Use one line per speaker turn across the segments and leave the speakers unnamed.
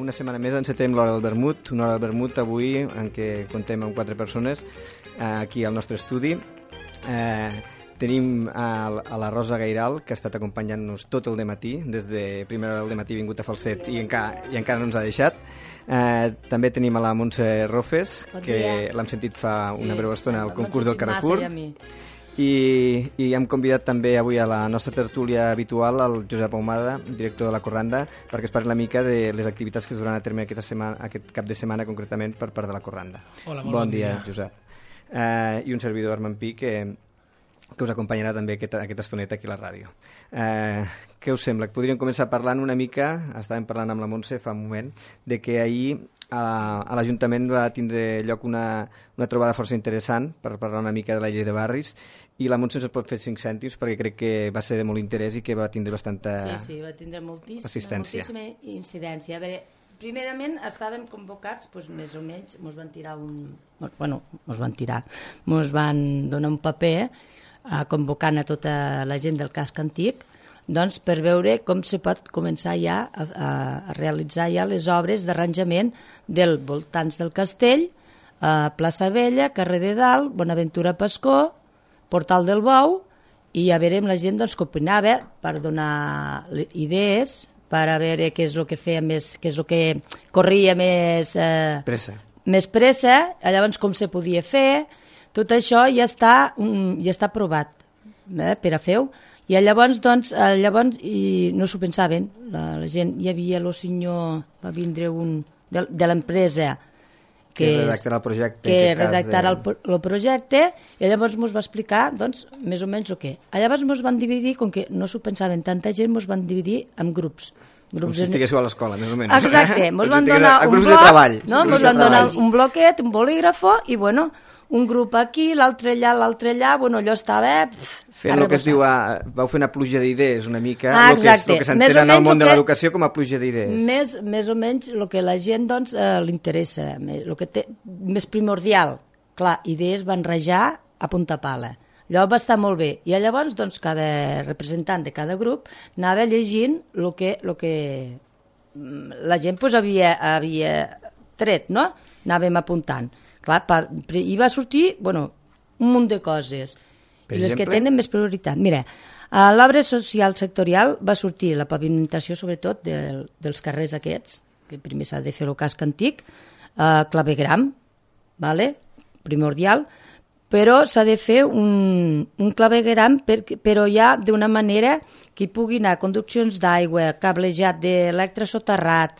Una setmana més encetem l'Hora del Vermut, una hora del vermut avui en què contem amb 4 persones aquí al nostre estudi. Tenim a la Rosa Gairal, que ha estat acompanyant-nos tot el dematí, des de primera hora del dematí ha vingut a Falset i encara no ens ha deixat. També tenim a la Montse Rofes, que l'hem sentit fa una breu estona al concurs del Carrefour. I hem convidat també avui a la nostra tertúlia habitual el Josep Ahumada, director de la Corranda, perquè es parli una mica de les activitats que es duran a terme aquest cap de setmana concretament per part de la Corranda.
Hola, molt bon dia,
Josep. I un servidor, Armand Pi, que us acompanyarà també aquesta estoneta aquí a la ràdio. Què us sembla? Podríem començar parlant una mica, estàvem parlant amb la Montse fa un moment, de que ahir a l'Ajuntament va tindre lloc una trobada força interessant per parlar una mica de la llei de barris, i la Montse ens pot fer 5 cèntims perquè crec que va ser de molt interès i que va tindre bastanta
Sí, va tindre
assistència.
Moltíssima incidència. A veure, primerament estàvem convocats, més o menys, mos van donar un paper convocant a tota la gent del casc antic, doncs per veure com se pot començar ja a realitzar ja les obres d'arranjament dels voltants del castell, plaça Vella, carrer de Dalt, Bonaventura Pascó, Portal del Bou, i a veure amb la gent doncs, que opinava per donar idees, per a veure què és el que feia més, què és el que corria més pressa, llavors com se podia fer. Tot això ja està aprovat per a fer-ho. I llavors, i no s'ho pensaven, la gent. Hi havia el senyor, va vindre un de l'empresa que redactarà el projecte, i llavors ens va explicar, doncs, més o menys el que. Llavors ens van dividir, com que no s'ho pensaven tanta gent, ens van dividir en grups.
Com si estiguéssiu a l'escola, més o menys.
Exacte, ens van donar un bloc, ens van donar un bloquet, un bolígrafo, i bueno, un grup aquí, l'altre allà, allò estava...
Fent el que es diu, vau fer una pluja d'idees una mica, el que s'entén en el món de l'educació com a pluja d'idees.
Més o menys el que la gent li interessa, el que té més primordial. Clar, idees van rajar a punta pala. Llavors va estar molt bé. I llavors cada representant de cada grup anava llegint el que la gent havia tret, no? Anàvem apuntant. Clar, i va sortir un munt de coses. I les que tenen més prioritat. Mira, a l'obra social sectorial va sortir la pavimentació, sobretot, dels carrers aquests, que primer s'ha de fer el casc antic, clavegram, primordial, però s'ha de fer un clavegram, però ja d'una manera que hi pugui anar conduccions d'aigua, cablejat d'electrosoterrat,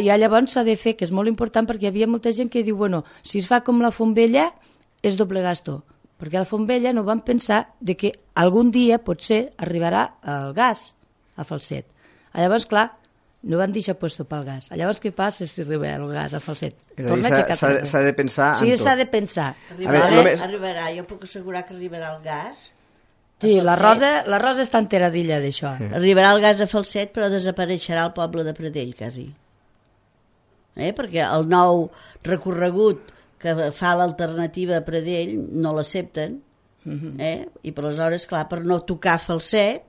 i llavors s'ha de fer, que és molt important, perquè hi havia molta gent que diu, si es fa com la Fontvella, és doble gasto. Perquè a la Fontvella no van pensar que algun dia potser arribarà el gas a Falset. Llavors, clar, no van deixar puesto pel gas. Llavors, què passa si arriba el gas a Falset?
És a dir, s'ha de pensar en tot.
Sí, s'ha de pensar.
Arribarà, jo puc assegurar que arribarà el gas.
Sí, la Rosa està enteradilla d'això.
Arribarà el gas a Falset, però desapareixerà el poble de Pradell, quasi. Perquè el nou recorregut que fa l'alternativa a Pradell no l'accepten, i per aleshores, clar, per no tocar Falset,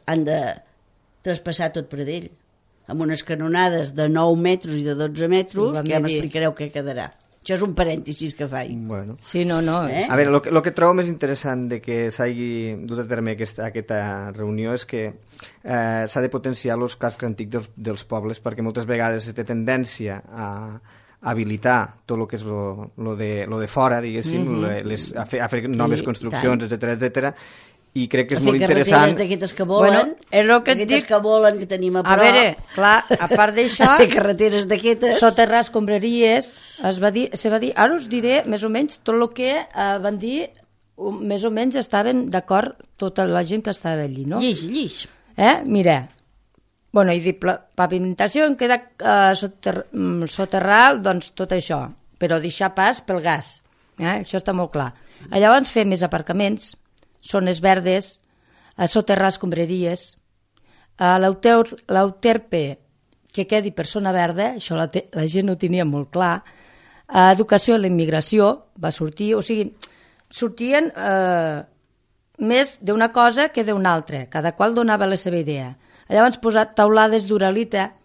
han de traspassar tot Pradell, amb unes canonades de 9 metres i de 12 metres, que ja m'explicareu què quedarà. Això és un parèntesis que faig.
Bueno.
Sí, no.
A veure, el que trobo més interessant de que s'hagi dut a terme aquesta reunió és que s'ha de potenciar els cascs antics dels pobles, perquè moltes vegades es té tendència a habilitar tot el que és lo de fora, diguéssim, a fer noves construccions, etc, i crec que és molt interessant.
Fer carreteres d'aquestes que volen,
és el que et
d'aquestes
dic.
que volen, que tenim a prop.
A veure, clar, a part d'això,
fer carreteres d'aquestes.
soterrar escombraries, se va dir, ara us diré més o menys tot el que van dir, més o menys estaven d'acord tota la gent que estava allí, no?
Lliix.
Mira, bueno, he dit pavimentació, en queda soterrar, doncs tot això, però deixar pas pel gas, això està molt clar. Llavors fer més aparcaments, zones verdes, soterrar escombraries, l'euterpe que quedi per zona verda, això la gent ho tenia molt clar, educació i la immigració va sortir, o sigui, sortien més d'una cosa que d'una altra, cada qual donava la seva idea. Llavors posat taulades d'uralita,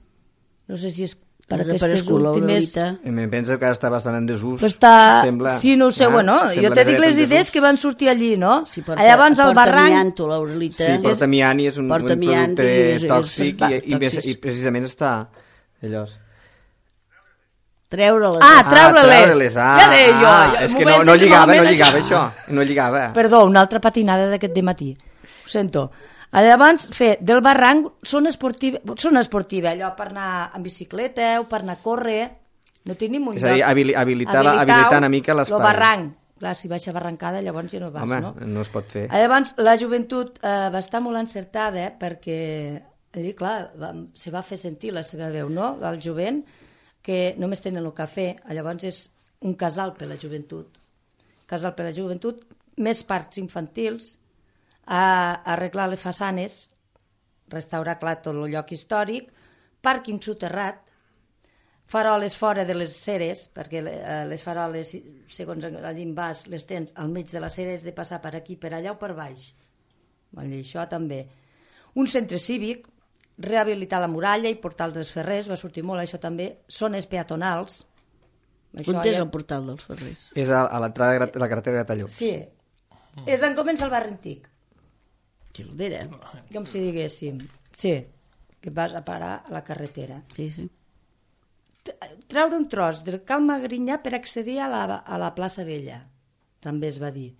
no sé si és per aquestes últimes...
Em penso que està bastant en desús.
Sembla... Sí, no ho sé, bueno, jo te dic les idees que van sortir allí, no?
Sí, porta,
llavors el barranc...
Amianto, l'uralita.
Sí, porta amiant i és un producte tòxic i precisament està... Llavors...
Treure-les.
Treure-les.
Ja deia jo. És que no lligava això. No lligava.
Perdó, una altra patinada d'aquest dematí. Ho sento. Llavors, fer del barranc zona esportiva, allò per anar amb bicicleta o per anar a córrer, no tenim un lloc.
És a dir, habilitar una mica l'espai.
El barranc, clar, si baixa barrancada llavors ja no vas,
no?
Home,
no es pot fer.
Llavors, la joventut va estar molt encertada perquè allí, clar, se va fer sentir la seva veu, no?, del jovent, que només tenen el cafè, llavors és un casal per la joventut. Més parcs infantils, arreglar les façanes, restaurar clar tot el lloc històric, pàrquing soterrat, faroles fora de les ceres, perquè les faroles, segons allí en vas, les tens al mig de la cera, has de passar per aquí, per allà o per baix. Això també. Un centre cívic, rehabilitar la muralla i portal dels Ferrers, va sortir molt això també, zones peatonals.
On és el portal dels Ferrers?
És a l'entrada de la carretera de Gratallops.
Sí, és on comença el barri antic.
Gildera.
Com si diguéssim. Sí, que vas a parar a la carretera.
Sí.
Treure un tros del Cal Magrinyà per accedir a la plaça Vella, també es va dir.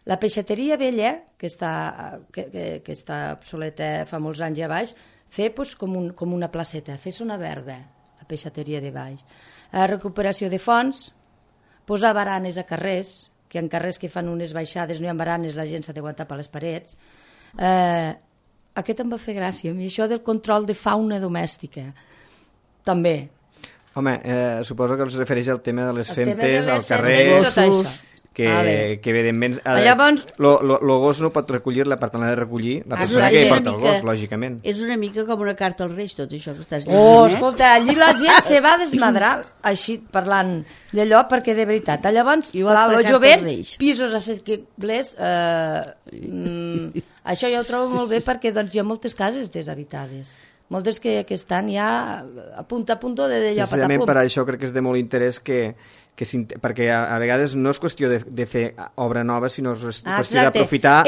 La peixateria vella, que està obsoleta fa molts anys a baix, fer com una placeta, fer zona verda, la peixateria de baix. La recuperació de fonts, posar baranes a carrers, que en carrers que fan unes baixades no hi ha baranes, la gent s'ha d'aguantar per les parets. Aquest em va fer gràcia, i això del control de fauna domèstica, també.
Home, suposo que els refereix al tema de les femtes, al carrer, que evidentment...
Llavors...
El gos no pot recollir-la, per tant l'ha de recollir la persona que porta el gos, lògicament.
És una mica com una carta als Reis, tot això que estàs
dient. Escolta, allí la gent se va desmadrar, així, parlant d'allò, perquè de veritat. Llavors, el jovent, pisos assequibles, això ja ho trobo molt bé perquè hi ha moltes cases deshabitades. Moltes que estan ja a punt de d'allò.
Precisament per això crec que és de molt interès perquè a vegades no és qüestió de fer obra nova, sinó és qüestió d'aprofitar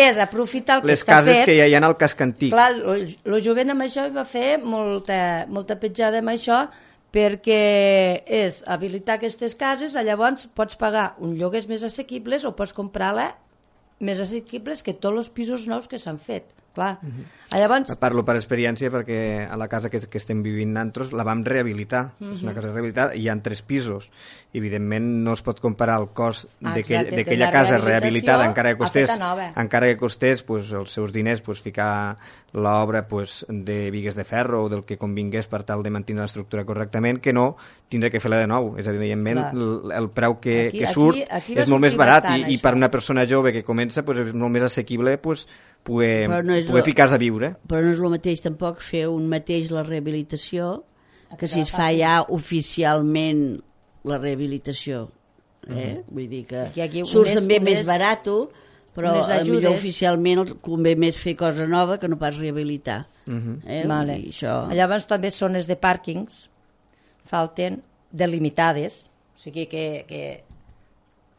les cases que ja hi ha al casc antic.
Clar, el jovent amb això va fer molta petjada amb això, perquè és habilitar aquestes cases, llavors pots pagar un lloguers més assequibles o pots comprar-la més assequibles que tots els pisos nous que s'han fet. Clar. Llavors...
Parlo per experiència perquè a la casa que estem vivint nosaltres la vam rehabilitar. És una casa rehabilitada i hi ha 3 pisos. Evidentment no es pot comparar el cost d'aquella casa rehabilitada encara que costés els seus diners ficar l'obra de bigues de ferro o del que convingués per tal de mantenir l'estructura correctament, que no tindre que fer-la de nou. És evidentment el preu que surt és molt més barat i per una persona jove que comença és molt més assequible poder ficar-se a viure.
Però no és el mateix tampoc fer la rehabilitació que si es fa ja oficialment la rehabilitació. Vull dir que surt també més barat, però millor oficialment convé més fer cosa nova que no pas rehabilitar.
Llavors també zones de pàrquings falten delimitades,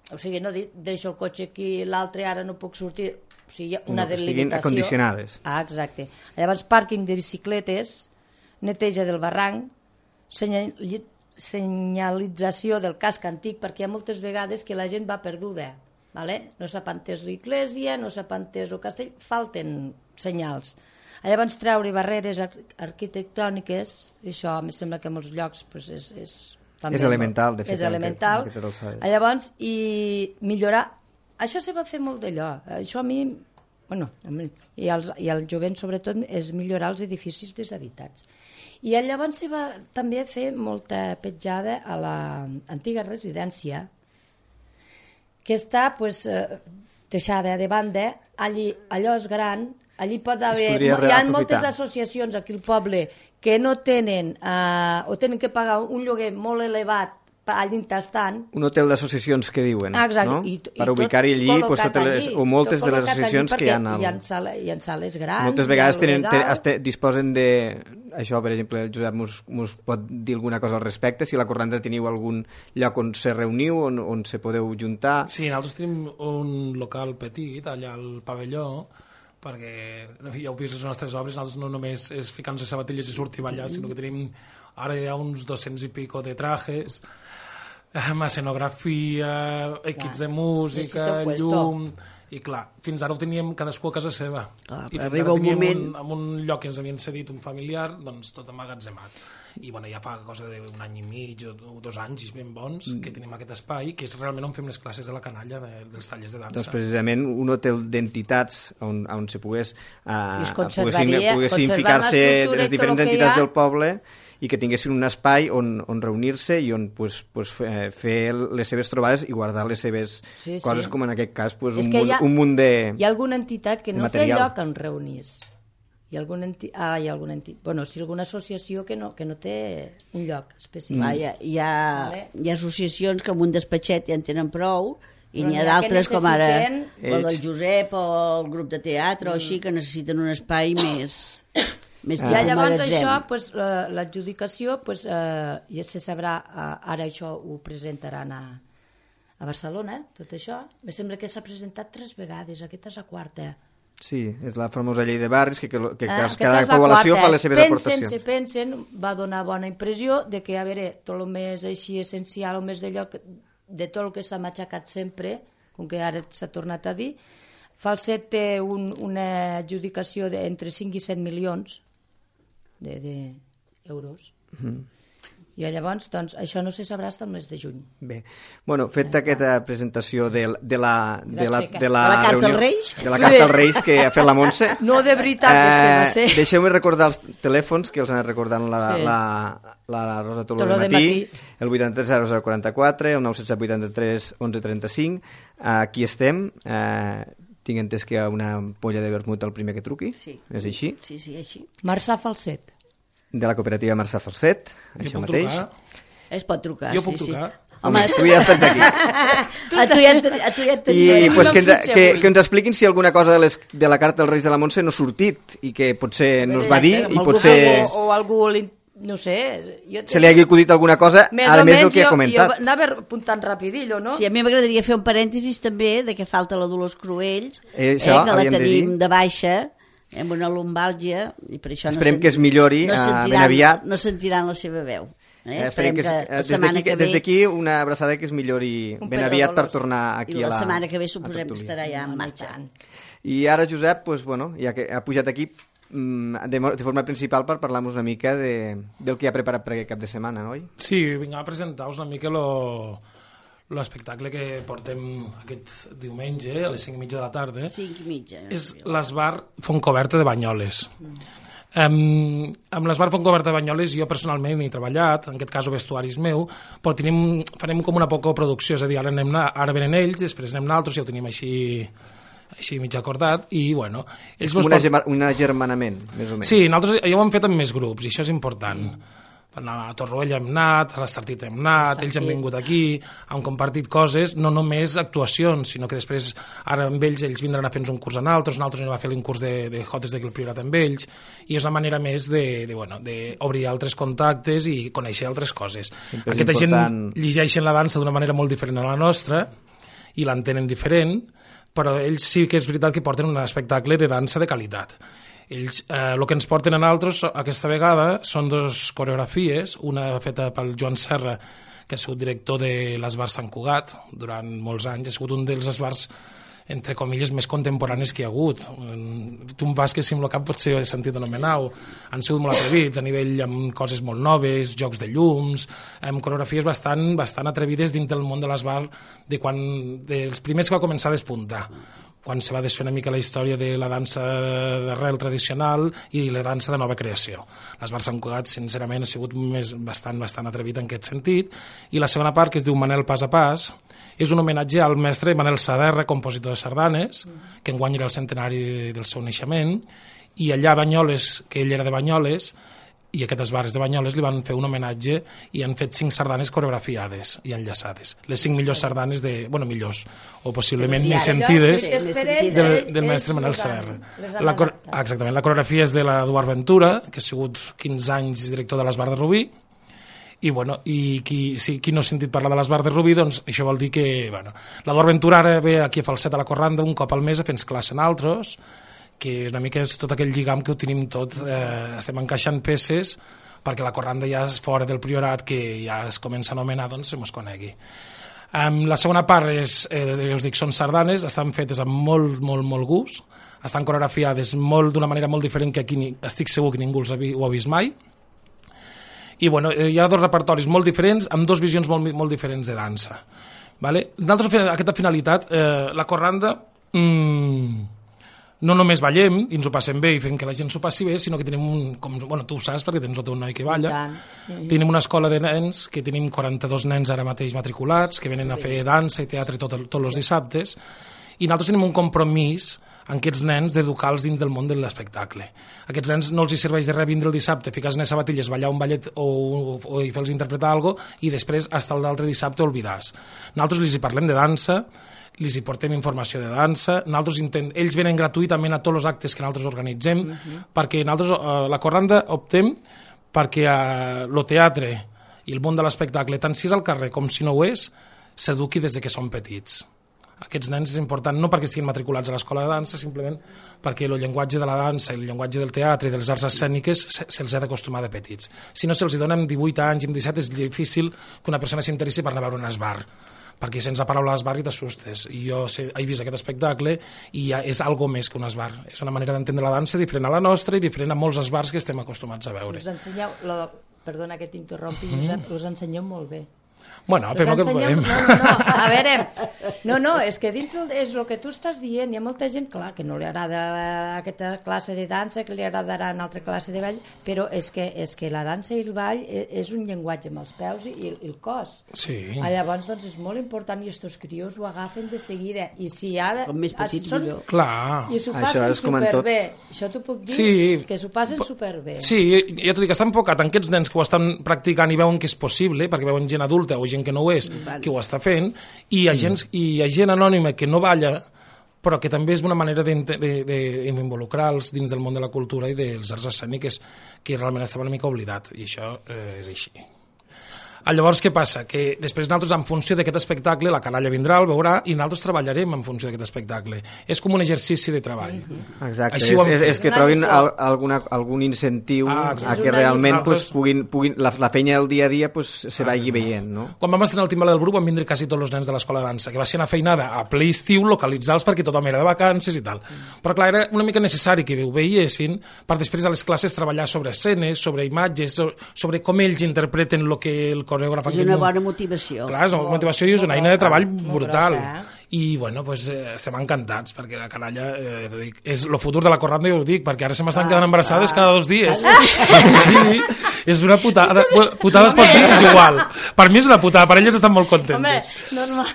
o sigui no deixo el cotxe aquí, l'altre ara no puc sortir, o sigui, una delimitació.
Siguin acondicionades.
Exacte. Llavors, pàrquing de bicicletes, neteja del barranc, senyalització del casc antic, perquè hi ha moltes vegades que la gent va perduda. vale? No sap on és l'església, no sap on és el castell, falten senyals. Llavors treure barreres arquitectòniques, això em sembla que en molts llocs pues, és
elemental, de fet.
És elemental. Llavors, i millorar... Això se va fer molt d'allò. Això a mi... Bueno, i al jovent sobretot és millorar els edificis deshabitats. I llavors se va també fer molta petjada a l'antiga residència, que està pues, deixada de banda, allò és gran, allí pot haver... Hi ha moltes associacions aquí al poble que no tenen o tenen que pagar un lloguer molt elevat allà estan.
Un hotel d'associacions que diuen,
exacte,
no? Per ubicar-hi allí, o moltes de les associacions que hi ha...
Hi ha sales grans.
Moltes vegades disposen de... Això, per exemple, el Josep mos pot dir alguna cosa al respecte, si a la Corranda teniu algun lloc on se reuniu, on se podeu juntar...
Sí, nosaltres tenim un local petit, allà al pavelló, perquè ja heu vist les nostres obres, nosaltres no només és ficar-nos les sabatilles i sortir a ballar, sinó que tenim ara hi ha uns 200 i pico de trajes, escenografia, equips de música, llum... I clar, fins ara ho teníem cadascú a casa seva. I fins ara teníem en un lloc que ens havien cedit un familiar, doncs tot emmagatzemat. I bueno, ja fa cosa d'un any i mig o 2 anys ben bons que tenim aquest espai, que és realment on fem les classes de la canalla dels tallers de dansa.
Doncs precisament un hotel d'entitats on se poguessin ficar-se les diferents entitats del poble i que tinguessin un espai on reunir-se i on fer les seves trobades i guardar les seves coses, com en aquest cas un munt de...
Hi ha alguna entitat que no té lloc on reunir-se. Hi ha alguna alguna associació que no té un lloc específic.
Hi ha associacions que amb un despatxet ja en tenen prou, i n'hi ha d'altres com ara el del Josep o el grup de teatre o així, que necessiten un espai més...
I llavors això, l'adjudicació, ja se sabrà, ara això ho presentaran a Barcelona, tot això. Me sembla que s'ha presentat 3 vegades, aquesta és la 4.
Sí, és la famosa llei de barris, que cada població fa les seves aportacions.
Pensen, va donar bona impressió de que, a veure, tot el més així essencial, el més d'allò, de tot el que s'ha matxacat sempre, com que ara s'ha tornat a dir, Falset té una adjudicació entre 5 i 7 milions d'euros. I llavors, doncs, això no se sabrà fins al mes de juny.
Bé, bueno, fet aquesta presentació de la
carta als Reis,
de la carta als Reis que ha fet la Montse.
No, de veritat,
deixeu-me recordar els telèfons que els ha anat recordant la Rosa Toló de Matí, el 83 0044, el 917 83 11 35. Aquí estem. Tinc entès que hi ha una ampolla de vermut al primer que truqui.
Sí.
És així?
Sí, així.
Marçà Falset.
De la cooperativa Marçà Falset, això mateix.
Es pot trucar.
Jo puc trucar.
Home, tu ja estàs aquí.
A tu ja et
I pues, que ens expliquin si alguna cosa de la carta dels Reis de la Montse no ha sortit i que potser no es va dir i potser...
O algú, no sé...
Se li hagi acudit alguna cosa, a més del que ha comentat.
Jo anava apuntant rapidillo, no?
Sí, a mi m'agradaria fer un parèntesis també de que falta la Dolors Cruells,
que la
tenim de baixa, amb una lumbàlgia, i per això
esperem que es millori ben aviat.
No sentiran la seva veu.
Esperem que des d'aquí una abraçada que es millori ben aviat per tornar aquí a la...
I la setmana que ve suposem que estarà ja en marxa.
I ara, Josep, ja que ha pujat aquí de forma principal per parlar-nos una mica del que ha preparat per aquest cap de setmana, oi?
Sí, vinc a presentar-vos una mica l'espectacle que portem aquest diumenge a les 5:30 de la tarda.
5:30.
És l'Esbar Fontcoberta de Banyoles. Amb l'Esbar Fontcoberta de Banyoles jo personalment he treballat, en aquest cas el vestuari és meu, però farem com una poca producció, és a dir, ara venen ells, després anem nosaltres, ja ho tenim així mig acordat, i bueno...
Un agermanament, més o menys.
Sí, nosaltres ja ho hem fet amb més grups, i això és important. A Torroella hem anat, a l'Estartit hem anat, ells han vingut aquí, han compartit coses, no només actuacions, sinó que després, ara amb ells vindran a fer-nos un curs a nosaltres anem a fer un curs de jotes d'aquí al Priorat amb ells, i és una manera més d'obrir altres contactes i conèixer altres coses. Aquesta gent llegeixen la dansa d'una manera molt diferent a la nostra, i l'entenen diferent, però ells sí que és veritat que porten un espectacle de dansa de qualitat. Ells, el que ens porten a nosaltres aquesta vegada són 2 coreografies, una feta pel Joan Serra, que ha sigut director de l'Esbar Sant Cugat durant molts anys, ha sigut un dels esbars entre comilles, més contemporanis que hi ha hagut. Tu em vas que si amb el cap potser he sentit anomenar-ho. Han sigut molt atrevits a nivell amb coses molt noves, jocs de llums, amb coreografies bastant atrevides dins del món de l'esbar dels primers que va començar a despuntar, quan se va desfer una mica la història de la dansa d'arrel tradicional i la dansa de nova creació. L'Esbar Sant Cugat, sincerament, ha sigut bastant atrevit en aquest sentit. I la segona part, que es diu Manel Pas a Pas, és un homenatge al mestre Manel Saderra, compositor de sardanes, que enguany era el centenari del seu naixement, i allà a Banyoles, que ell era de Banyoles, i aquest esbar és de Banyoles, li van fer un homenatge i han fet 5 sardanes coreografiades i enllaçades. Les 5 millors sardanes millors, o possiblement més sentides, del mestre Manel Saderra. Exactament, la coreografia és de l'Eduard Ventura, que ha sigut 15 anys director de l'Esbar de Rubí, i qui no ha sentit parlar de l'Esbar de Rubí, doncs això vol dir que l'Eduard Ventura ara ve aquí a Falset a la Corranda un cop al mes a fer classe en altres, que és una mica tot aquell lligam que ho tenim tot, estem encaixant peces perquè la Corranda ja és fora del priorat, que ja es comença a anomenar, doncs se mos conegui. La segona part us dic, són sardanes, estan fetes amb molt gust, estan coreografiades d'una manera molt diferent que aquí estic segur que ningú ho ha vist mai. I hi ha 2 repertoris molt diferents amb 2 visions molt diferents de dansa. Nosaltres, aquesta finalitat, la Corranda no només ballem i ens ho passem bé i fem que la gent s'ho passi bé, sinó que tenim tu ho saps perquè tens el teu noi que balla, tenim una escola de nens que tenim 42 nens ara mateix matriculats que venen a fer dansa i teatre tots els dissabtes, i nosaltres tenim un compromís amb aquests nens d'educar-los dins del món de l'espectacle. A aquests nens no els hi serveix de res vindre el dissabte, ficar-se en les sabatilles, ballar un ballet o fer-los interpretar alguna cosa i després, fins l'altre dissabte, oblidar-se. Nosaltres els hi parlem de dansa, els hi portem informació de dansa, ells venen gratuïtament a tots els actes que nosaltres organitzem, perquè nosaltres, la Corranda, optem perquè el teatre i el món de l'espectacle, tant si és al carrer com si no ho és, s'eduqui des que són petits. Aquests nens és important no perquè estiguin matriculats a l'escola de dansa, simplement perquè el llenguatge de la dansa, el llenguatge del teatre i de les arts escèniques se'ls ha d'acostumar de petits. Si no se'ls dona amb 18 anys, amb 17, és difícil que una persona s'interessi per anar a veure un esbar, perquè sense paraula esbar i t'assustes. I jo he vist aquest espectacle i ja és algo més que un esbar. És una manera d'entendre la dansa diferent a la nostra i diferent a molts esbars que estem acostumats a veure.
Us ensenyeu, perdona que t'interrompi, Josep, us ensenyeu molt bé.
Bueno, fem el que podem.
A veure, és que dintre és el que tu estàs dient, hi ha molta gent, clar, que no li agrada aquesta classe de dansa, que li agradarà una altra classe de ball, però és que la dansa i el ball és un llenguatge amb els peus i el cos.
Sí.
Llavors, doncs, és molt important i estos crios ho agafen de seguida. I si ara...
Com més petits, millor.
Clar.
I s'ho passen superbé. Això t'ho puc dir, que s'ho passen superbé.
Sí, ja t'ho dic, està enfocat en aquests nens que ho estan practicant i veuen que és possible, perquè veuen gent adulta o gent que no ho és, que ho està fent, i hi ha gent anònima que no balla, però que també és una manera d'involucrar-los dins del món de la cultura i dels arts escèniques que realment estava una mica oblidat, i això és així. Llavors, què passa? Que després nosaltres, en funció d'aquest espectacle, la canalla vindrà, el veurà, i nosaltres treballarem en funció d'aquest espectacle. És com un exercici de treball.
Exacte, és que trobin algun incentiu a que realment la penya del dia a dia se vagi veient, no?
Quan vam estrenar el Timbaler del Bruc van vindre quasi tots els nens de l'escola de dansa, que va ser una feinada a ple estiu, localitzar-los perquè tothom era de vacances i tal. Però clar, era una mica necessari que ho veiessin per després a les classes treballar sobre escenes, sobre imatges, sobre com ells interpreten el que el coreògraf...
És una bona motivació.
Clar, és una motivació i és una eina de treball brutal. I, bueno, estem encantats, perquè la canalla, és el futur de la Corranda, jo ho dic, perquè ara se m'estan quedant embarassades cada 2 dies. Sí, és una putada. Putades per mi és igual. Per mi és una putada, per elles estan molt contentes.
Home, normal.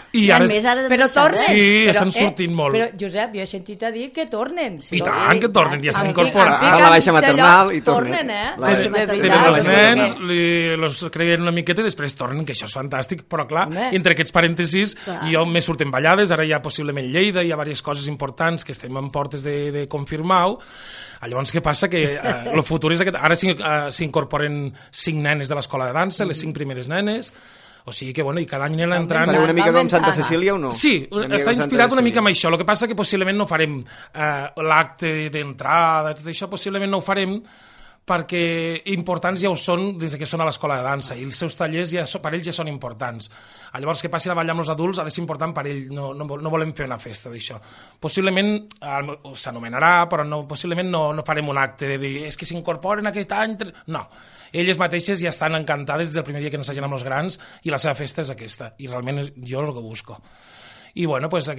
Però
tornen.
Sí, estan sortint molt.
Però, Josep, jo he sentit a dir que tornen.
I tant que tornen, ja s'han incorporat.
A la baixa maternal i tornen.
Tenen els nens, els creien una miqueta i després tornen, que això és fantàstic, però clar, entre aquests parèntesis, jo me surten ballades, ara hi ha possiblement Lleida, hi ha diverses coses importants que estem en portes de confirmar-ho. Llavors, què passa? Que el futur és aquest. Ara s'incorporen 5 nenes de l'escola de dansa, les 5 primeres nenes, o sigui que, bueno, i cada any aniran entrant...
Fareu una mica com Santa Cecília o no?
Sí, està inspirat una mica amb això. El que passa que possiblement no farem l'acte d'entrada, tot això possiblement no ho farem, perquè importants ja ho són des que són a l'escola de dansa, i els seus tallers per ells ja són importants. Llavors, que passin a ballar amb els adults ha de ser important per ell, no volem fer una festa d'això. Possiblement s'anomenarà, però possiblement no farem un acte de dir és que s'incorporen aquest any... No, elles mateixes ja estan encantades des del primer dia que n'assagen amb els grans i la seva festa és aquesta, i realment jo és el que busco. I bueno, pues el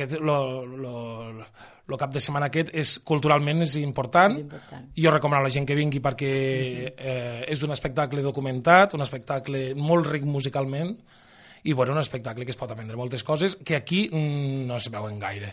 cap de setmana aquest culturalment és important. Jo recomano a la gent que vingui perquè és un espectacle documentat, un espectacle molt ric musicalment i bueno, un espectacle que es pot aprendre moltes coses que aquí no es veuen gaire,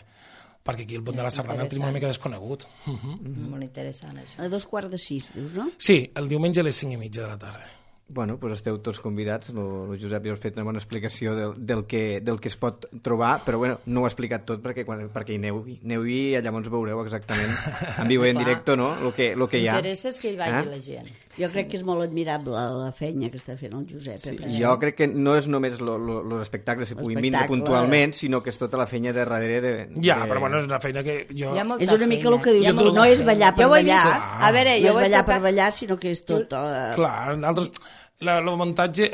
perquè aquí el pont de la sardana el tenim una mica desconegut.
Molt interessant, això.
A 5:45, dius, no?
Sí, el diumenge a les 5:30 de la tarda.
Bueno, doncs esteu tots convidats. El Josep ja us ha fet una bona explicació del que es pot trobar, però bueno, no ho ha explicat tot perquè hi aneu i llavors veureu exactament en viu i en directe, no?, el que hi ha.
L'interessa és que hi vagi la gent.
Jo crec que és molt admirable la feina que està fent el Josep.
Sí, jo crec que no és només els espectacles que puguin vindre puntualment, sinó que és tota la feina de darrere
però bueno, és una feina que jo...
És una mica el que dius tu, no és ballar per ballar,
a veure,
no és ballar per ballar, sinó que és tot...
Clar, nosaltres... El muntatge,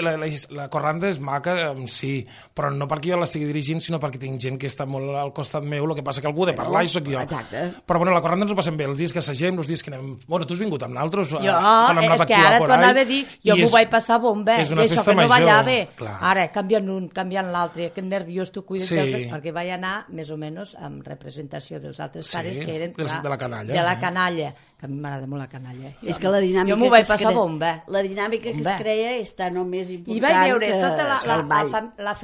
la corranda és maca, sí, però no perquè jo l'estigui dirigint, sinó perquè tinc gent que està molt al costat meu, el que passa que algú de parlar i sóc jo. Però bueno, la corranda ens ho passem bé, els dies que assagem, els dies que anem... Bueno, tu has vingut amb nosaltres?
Jo, és que ara t'ho anava a dir, jo m'ho vaig passar bomba,
és una
això
festa
que no
major.
ballava. Ara, canviant un, canviant l'altre, que nerviós tu cuides perquè vaig anar, més o menys, amb representació dels altres pares que eren...
de la canalla.
De la canalla, que a mi m'agrada molt la canalla.
És que la dinàmica
jo m'ho vaig passar bomba.
La dinàmica que es creia està només important
i vaig veure tota la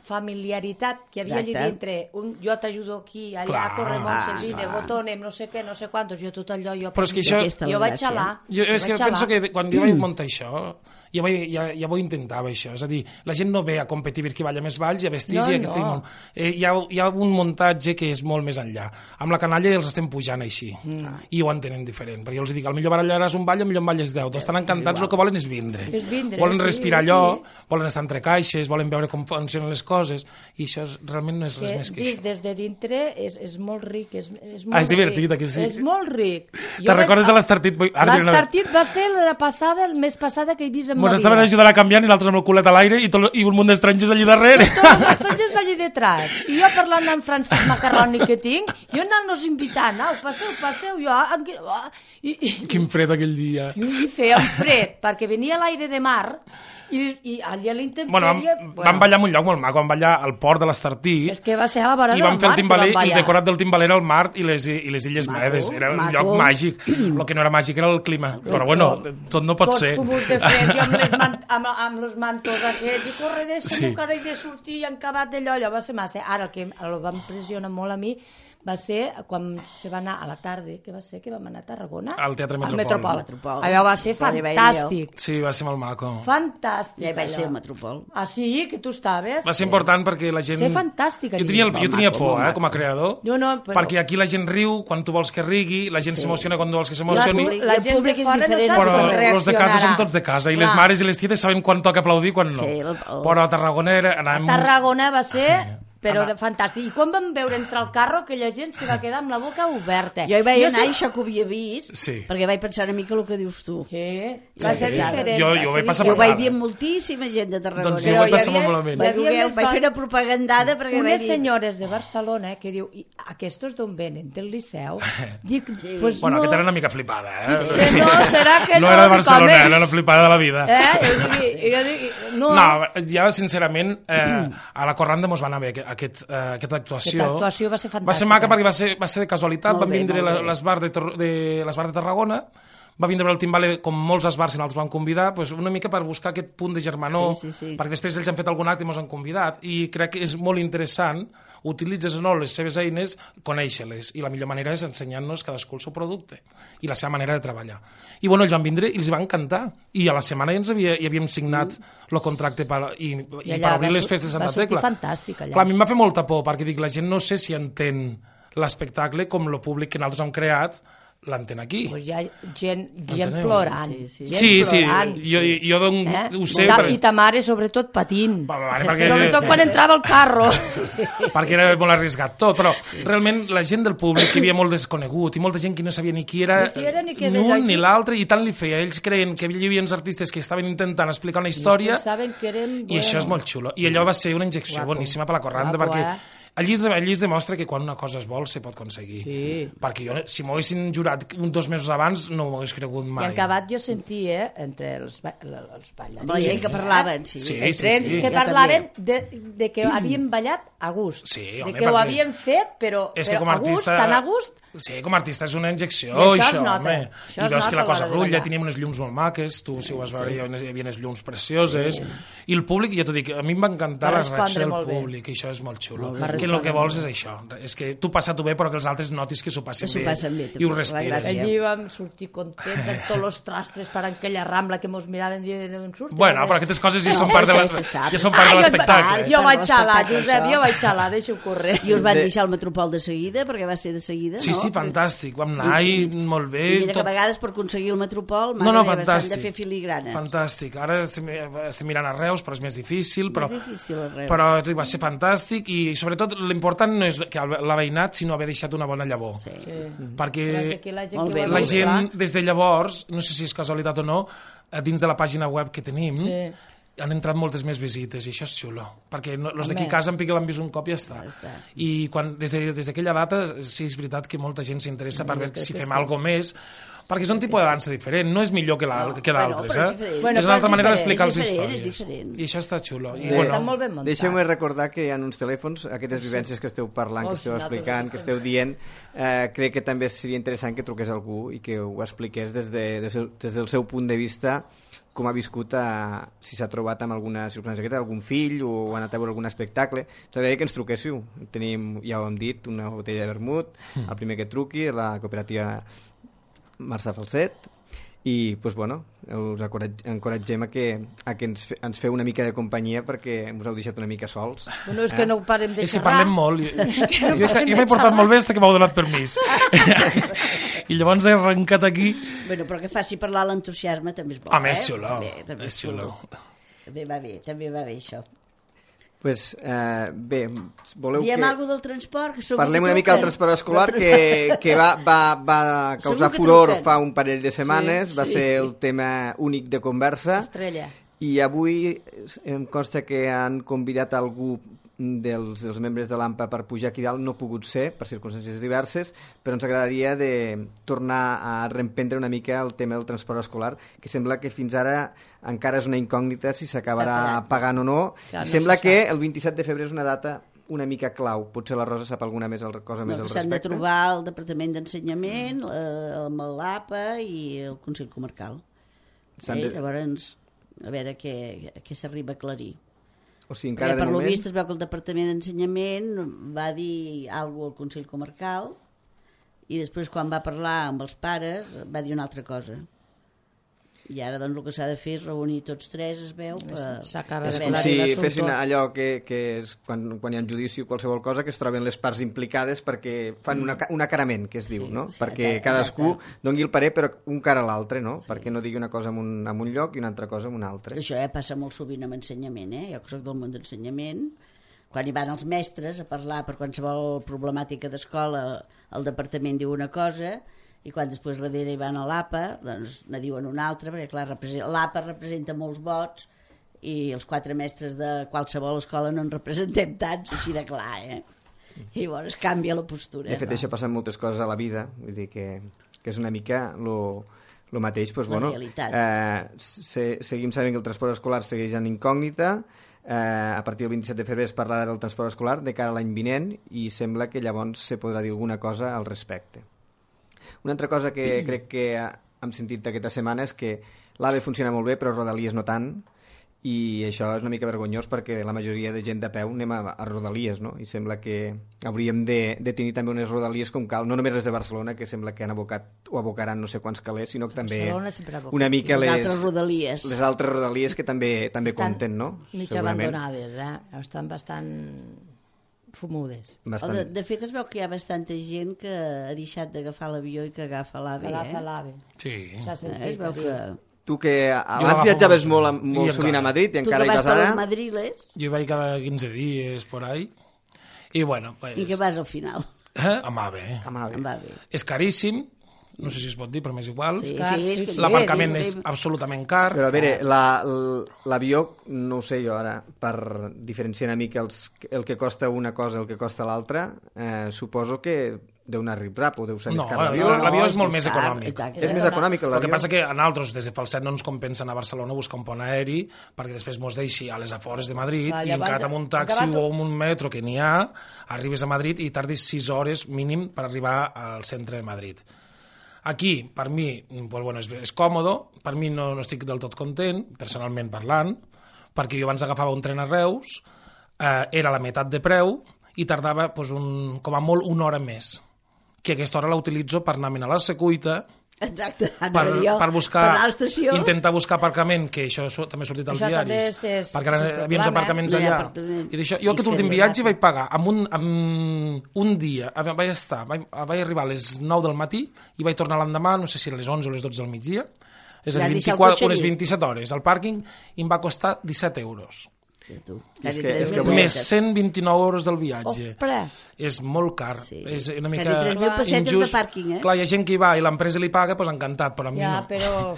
familiaritat que havia allà dintre, jo t'ajudo aquí, allà corremos el vine, botonem, no sé què, no sé quantos, jo tot allò, jo vaig xalar.
És que penso que quan jo vaig muntar això, ja ho intentava això, és a dir, la gent no ve a competir per qui balla més balls i a vestir hi ha un muntatge que és molt més enllà. Amb la canalla els estem pujant així i ho entenen diferent, perquè jo els dic, al millor ballaràs un ball, al millor en balles 10, estan encantats, el que volen és vindre, volen respirar allò, volen estar entre caixes, volen veure com funcionen les coses, i això realment no és res més que això.
Vist des de dintre és molt ric, és
divertit, que sí?
És molt ric.
Te'n recordes de l'Estartit?
L'Estartit va ser el mes passada que he vist en
Ens estaven ajudant a canviar i nosaltres amb el culet a l'aire i un munt d'estrangers allí darrere.
Tots els estrangers allí detrás. I jo parlant amb Francesc Macarroni que tinc, jo anant-nos invitant, passeu, jo...
Quin fred aquell dia.
I feia un fred, perquè venia l'aire de mar i allà a l'intempèrie...
Vam ballar en un lloc molt maco, vam ballar al port de l'Estartit.
És que va ser a la vora del mar.
I vam fer el timbaler, i el decorat del timbaler era el mar i les Illes Medes. Era un lloc màgic. El que no era màgic era el clima. Però bueno, tot no pot ser.
Tots fumos de fred, jo amb els mantos aquests, i corre de segur que ara he de sortir encabat d'allò, allò va ser massa. Ara el que el va impressionar molt a mi va ser quan se va anar a la tarda, que va ser que vam anar a Tarragona?
Al Teatre Metropol.
Allò va ser fantàstic.
Sí, va ser molt maco.
Fantàstic.
Ja hi vaig ser al Metropol.
Ah, sí? Que tu estaves?
Va ser important perquè la gent...
Va ser fantàstic.
Jo tenia por, com a creador, perquè aquí la gent riu quan tu vols que rigui, la gent s'emociona quan tu vols que s'emocioni.
La gent de fora no saps com reaccionarà.
Però els de casa són tots de casa, i les mares i les tietes saben quan toca aplaudir i quan no. Però a Tarragona
A Tarragona va ser... però fantàstic. I quan vam veure entrar al carro, aquella gent se va quedar amb la boca oberta.
Jo hi vaig anar i això que ho havia vist, perquè vaig pensar una mica el que dius tu.
Va ser diferent.
Jo vaig passar
per vaig dir moltíssima gent de Tarragona.
Doncs jo vaig passar molt malament.
Vaig fer una propagandada perquè vaig dir...
Unes senyores de Barcelona que diu, aquestos d'on venen? Del Liceu? Dic, pues no...
Bueno, aquesta era una mica flipada,
No, serà que no?
No era de Barcelona, era una flipada de la vida.
Jo dic, no.
No, ja sincerament, a la Corranda mos va anar bé aquesta actuació.
Aquesta actuació va ser fantàstica.
Va ser maca perquè va ser de casualitat. Van vindre l'esbar de Tarragona, va vindre el timbale com molts esbars i nosaltres van convidar, una mica per buscar aquest punt de germanor, perquè després ells han fet algun acte i ens han convidat, i crec que és molt interessant, utilitzes o no les seves eines, conèixer-les, i la millor manera és ensenyar-nos cadascú el seu producte i la seva manera de treballar. I ells van vindre i els va encantar, i a la setmana ja havíem signat el contracte per obrir les festes de Santa Tecla.
Va sortir fantàstic allà.
Clar, a mi em va fer molta por, perquè dic, la gent no sé si entén l'espectacle com el públic que nosaltres hem creat, l'antena aquí.
Pues hi ha gent plorant.
Sí, jo ho sé.
I ta mare, sobretot, patint.
Perquè...
Sobretot quan entrava al carro.
Perquè era molt arriscat tot, però realment la gent del públic, que hi havia molt desconegut, i molta gent que no sabia ni qui era ni un ni l'altre, i tant li feia. Ells creien que hi havia uns artistes que estaven intentant explicar una història, i això és molt xulo. I allò va ser una injecció boníssima per la corranda, perquè allí es demostra que quan una cosa es vol se pot aconseguir. Perquè jo, si m'ho haguessin jurat 2 mesos abans, no m'ho hagués cregut mai.
I en acabat jo sentia, entre els ballarins...
La gent que parlaven,
entre ells que parlaven de que havien ballat a gust. De que ho havien fet, però a gust, tan a gust...
Sí, com a artista és una injecció,
això es nota.
I veus que la cosa rutlla, teníem unes llums molt maques, tu si ho vas veure hi havia unes llums precioses, i el públic, ja t'ho dic, a mi em va encantar la reacció del públic, i això és molt xulo. Que el que vols és això, és que tu passa-t'ho bé però que els altres notis que s'ho passen bé i ho respires.
Allí vam sortir contents de tots els trastres per aquella rambla que mos miraven d'on surten.
Bueno, però aquestes coses ja són part de l'espectacle.
Jo vaig xalar, Josep, deixa-ho córrer.
I us van deixar el Metropol de seguida, perquè va ser de seguida, no?
Sí, fantàstic, vam anar i molt bé.
I mira que a vegades per aconseguir el Metropol s'han de fer filigranes.
Fantàstic, ara estem mirant a Reus, però és més difícil, però va ser fantàstic, i sobretot l'important no és que l'ha veïnat, sinó haver deixat una bona llavor. Perquè la gent, des de llavors, no sé si és casualitat o no, dins de la pàgina web que tenim, han entrat moltes més visites, i això és xulo, perquè els d'aquí a casa en Pique l'han vist un cop i ja està. I des d'aquella data sí és veritat que molta gent s'interessa per veure si fem alguna cosa més, perquè és un tipus de dansa diferent, no és millor que d'altres, és una altra manera d'explicar les històries, i això està xulo.
Deixeu-me recordar que hi ha uns telèfons, aquestes vivències que esteu parlant, que esteu explicant, que esteu dient, crec que també seria interessant que truqués algú i que ho expliqués des del seu punt de vista, com ha viscut, si s'ha trobat amb alguna circumstància, algun fill o ha anat a veure algun espectacle. Ens agradaria que ens truquéssiu. Tenim, ja ho hem dit, una botella de vermut, el primer que truqui, la cooperativa Marçà Falset, i us encoratgem a que ens feu una mica de companyia, perquè ens heu deixat una mica sols.
És que no parem de xerrar.
És que parlem molt. Jo m'he portat molt bé fins que m'heu donat permís. I llavors he arrencat aquí.
Bueno, però que faci parlar l'entusiasme també és bo.
Home, és xulo. És xulo.
També va bé això.
Pues, bé, voleu
diem alguna del transport?
Parlem una mica del transport escolar, que va causar furor fa un parell de setmanes, va ser el tema únic de conversa.
Estrella.
I avui em consta que han convidat algú dels membres de l'AMPA per pujar aquí dalt. No ha pogut ser, per circumstàncies diverses, però ens agradaria de tornar a reemprendre una mica el tema del transport escolar, que sembla que fins ara encara és una incògnita si s'acabarà pagant o no. I sembla que el 27 de febrer és una data una mica clau. Potser la Rosa sap alguna cosa més al respecte.
S'han de trobar el Departament d'Ensenyament, amb l'APA i el Consell Comarcal. Llavors, a veure què s'arriba a aclarir.
O sigui, encara
per lo vist es veu que el Departament d'Ensenyament va dir alguna cosa al Consell Comarcal i després quan va parlar amb els pares va dir una altra cosa. I ara doncs el que s'ha de fer és reunir tots tres, es veu,
és com si fessin allò que és quan hi ha un judici o qualsevol cosa, que es troben les parts implicades perquè fan un acarament, que es diu, no? Perquè cadascú doni el parer però un cara a l'altre, no? Perquè no digui una cosa en un lloc i una altra cosa en un altre.
Això passa molt sovint amb ensenyament, jo que soc del món d'ensenyament, quan hi van els mestres a parlar per qualsevol problemàtica d'escola, el departament diu una cosa i quan després darrere hi van a l'APA doncs ne diuen una altra, perquè clar, l'APA representa molts vots i els 4 mestres de qualsevol escola no en representem tants, així de clar, i llavors canvia la postura.
De fet, això passa en moltes coses a la vida, vull dir que és una mica lo mateix, doncs,
la realitat.
Seguim sabent que el transport escolar segueix en incògnita. A partir del 27 de febrer es parlarà del transport escolar de cara a l'any vinent i sembla que llavors se podrà dir alguna cosa al respecte. Una altra cosa que crec que hem sentit aquesta setmana és que l'AVE funciona molt bé però Rodalies no tant, i això és una mica vergonyós perquè la majoria de gent de peu anem a Rodalies, no? I sembla que hauríem de tenir també unes Rodalies com cal, no només les de Barcelona, que sembla que han abocat o abocaran no sé quants calés, sinó que també una mica les altres Rodalies que també compten, no?
Mig abandonades, estan bastant fumudes.
De fet, es veu que hi ha bastanta gent que ha deixat d'agafar l'avió i que agafa l'AVE.
Agafa l'AVE.
Sí.
Es veu que...
Tu que abans viatjaves molt sovint a Madrid i encara hi vas ara...
Tu que vas per Madriles...
Jo hi vaig cada 15 dies por ahí. I bueno, pues...
I què vas al final?
Amb AVE.
Amb AVE.
És caríssim, no sé si es pot dir, però m'és igual.
Sí,
l'aparcament és absolutament car.
Però a veure, l'avió, no ho sé jo ara, per diferenciar una mica el que costa una cosa i el que costa l'altra, suposo que deu anar rip-rap o deu ser més car l'avió.
L'avió és molt més econòmic.
És més econòmic l'avió.
El que passa que a nosaltres, des de Falset, no ens compensa anar a Barcelona a buscar un pont aeri perquè després mos deixi a les afores de Madrid i encara amb un taxi o amb un metro que n'hi ha, arribes a Madrid i tardis 6 hores mínim per arribar al centre de Madrid. Aquí, per mi, pues bueno, és còmode, per mi no estic del tot content, personalment parlant, perquè jo abans agafava un tren a Reus, era la meitat de preu i tardava pues, com a molt una hora més, que aquesta hora la utilitzo per anar a la Secuita,
exacte,
per buscar,
per
intentar buscar aparcament, que això també ha sortit als diaris, perquè ara hi havia aparcaments allà. I d'això, jo aquest últim viatge vaig pagar amb un dia, vaig arribar a les 9 del matí i vaig tornar l'endemà, no sé si a les 11 o les 12 del migdia, és a dir, unes 27 hores al pàrquing, i em va costar 17 euros. Més 129 euros del viatge. És molt car. És una mica injust. Clar, hi ha gent que hi va i l'empresa li paga, doncs encantat, però a mi no.
Però...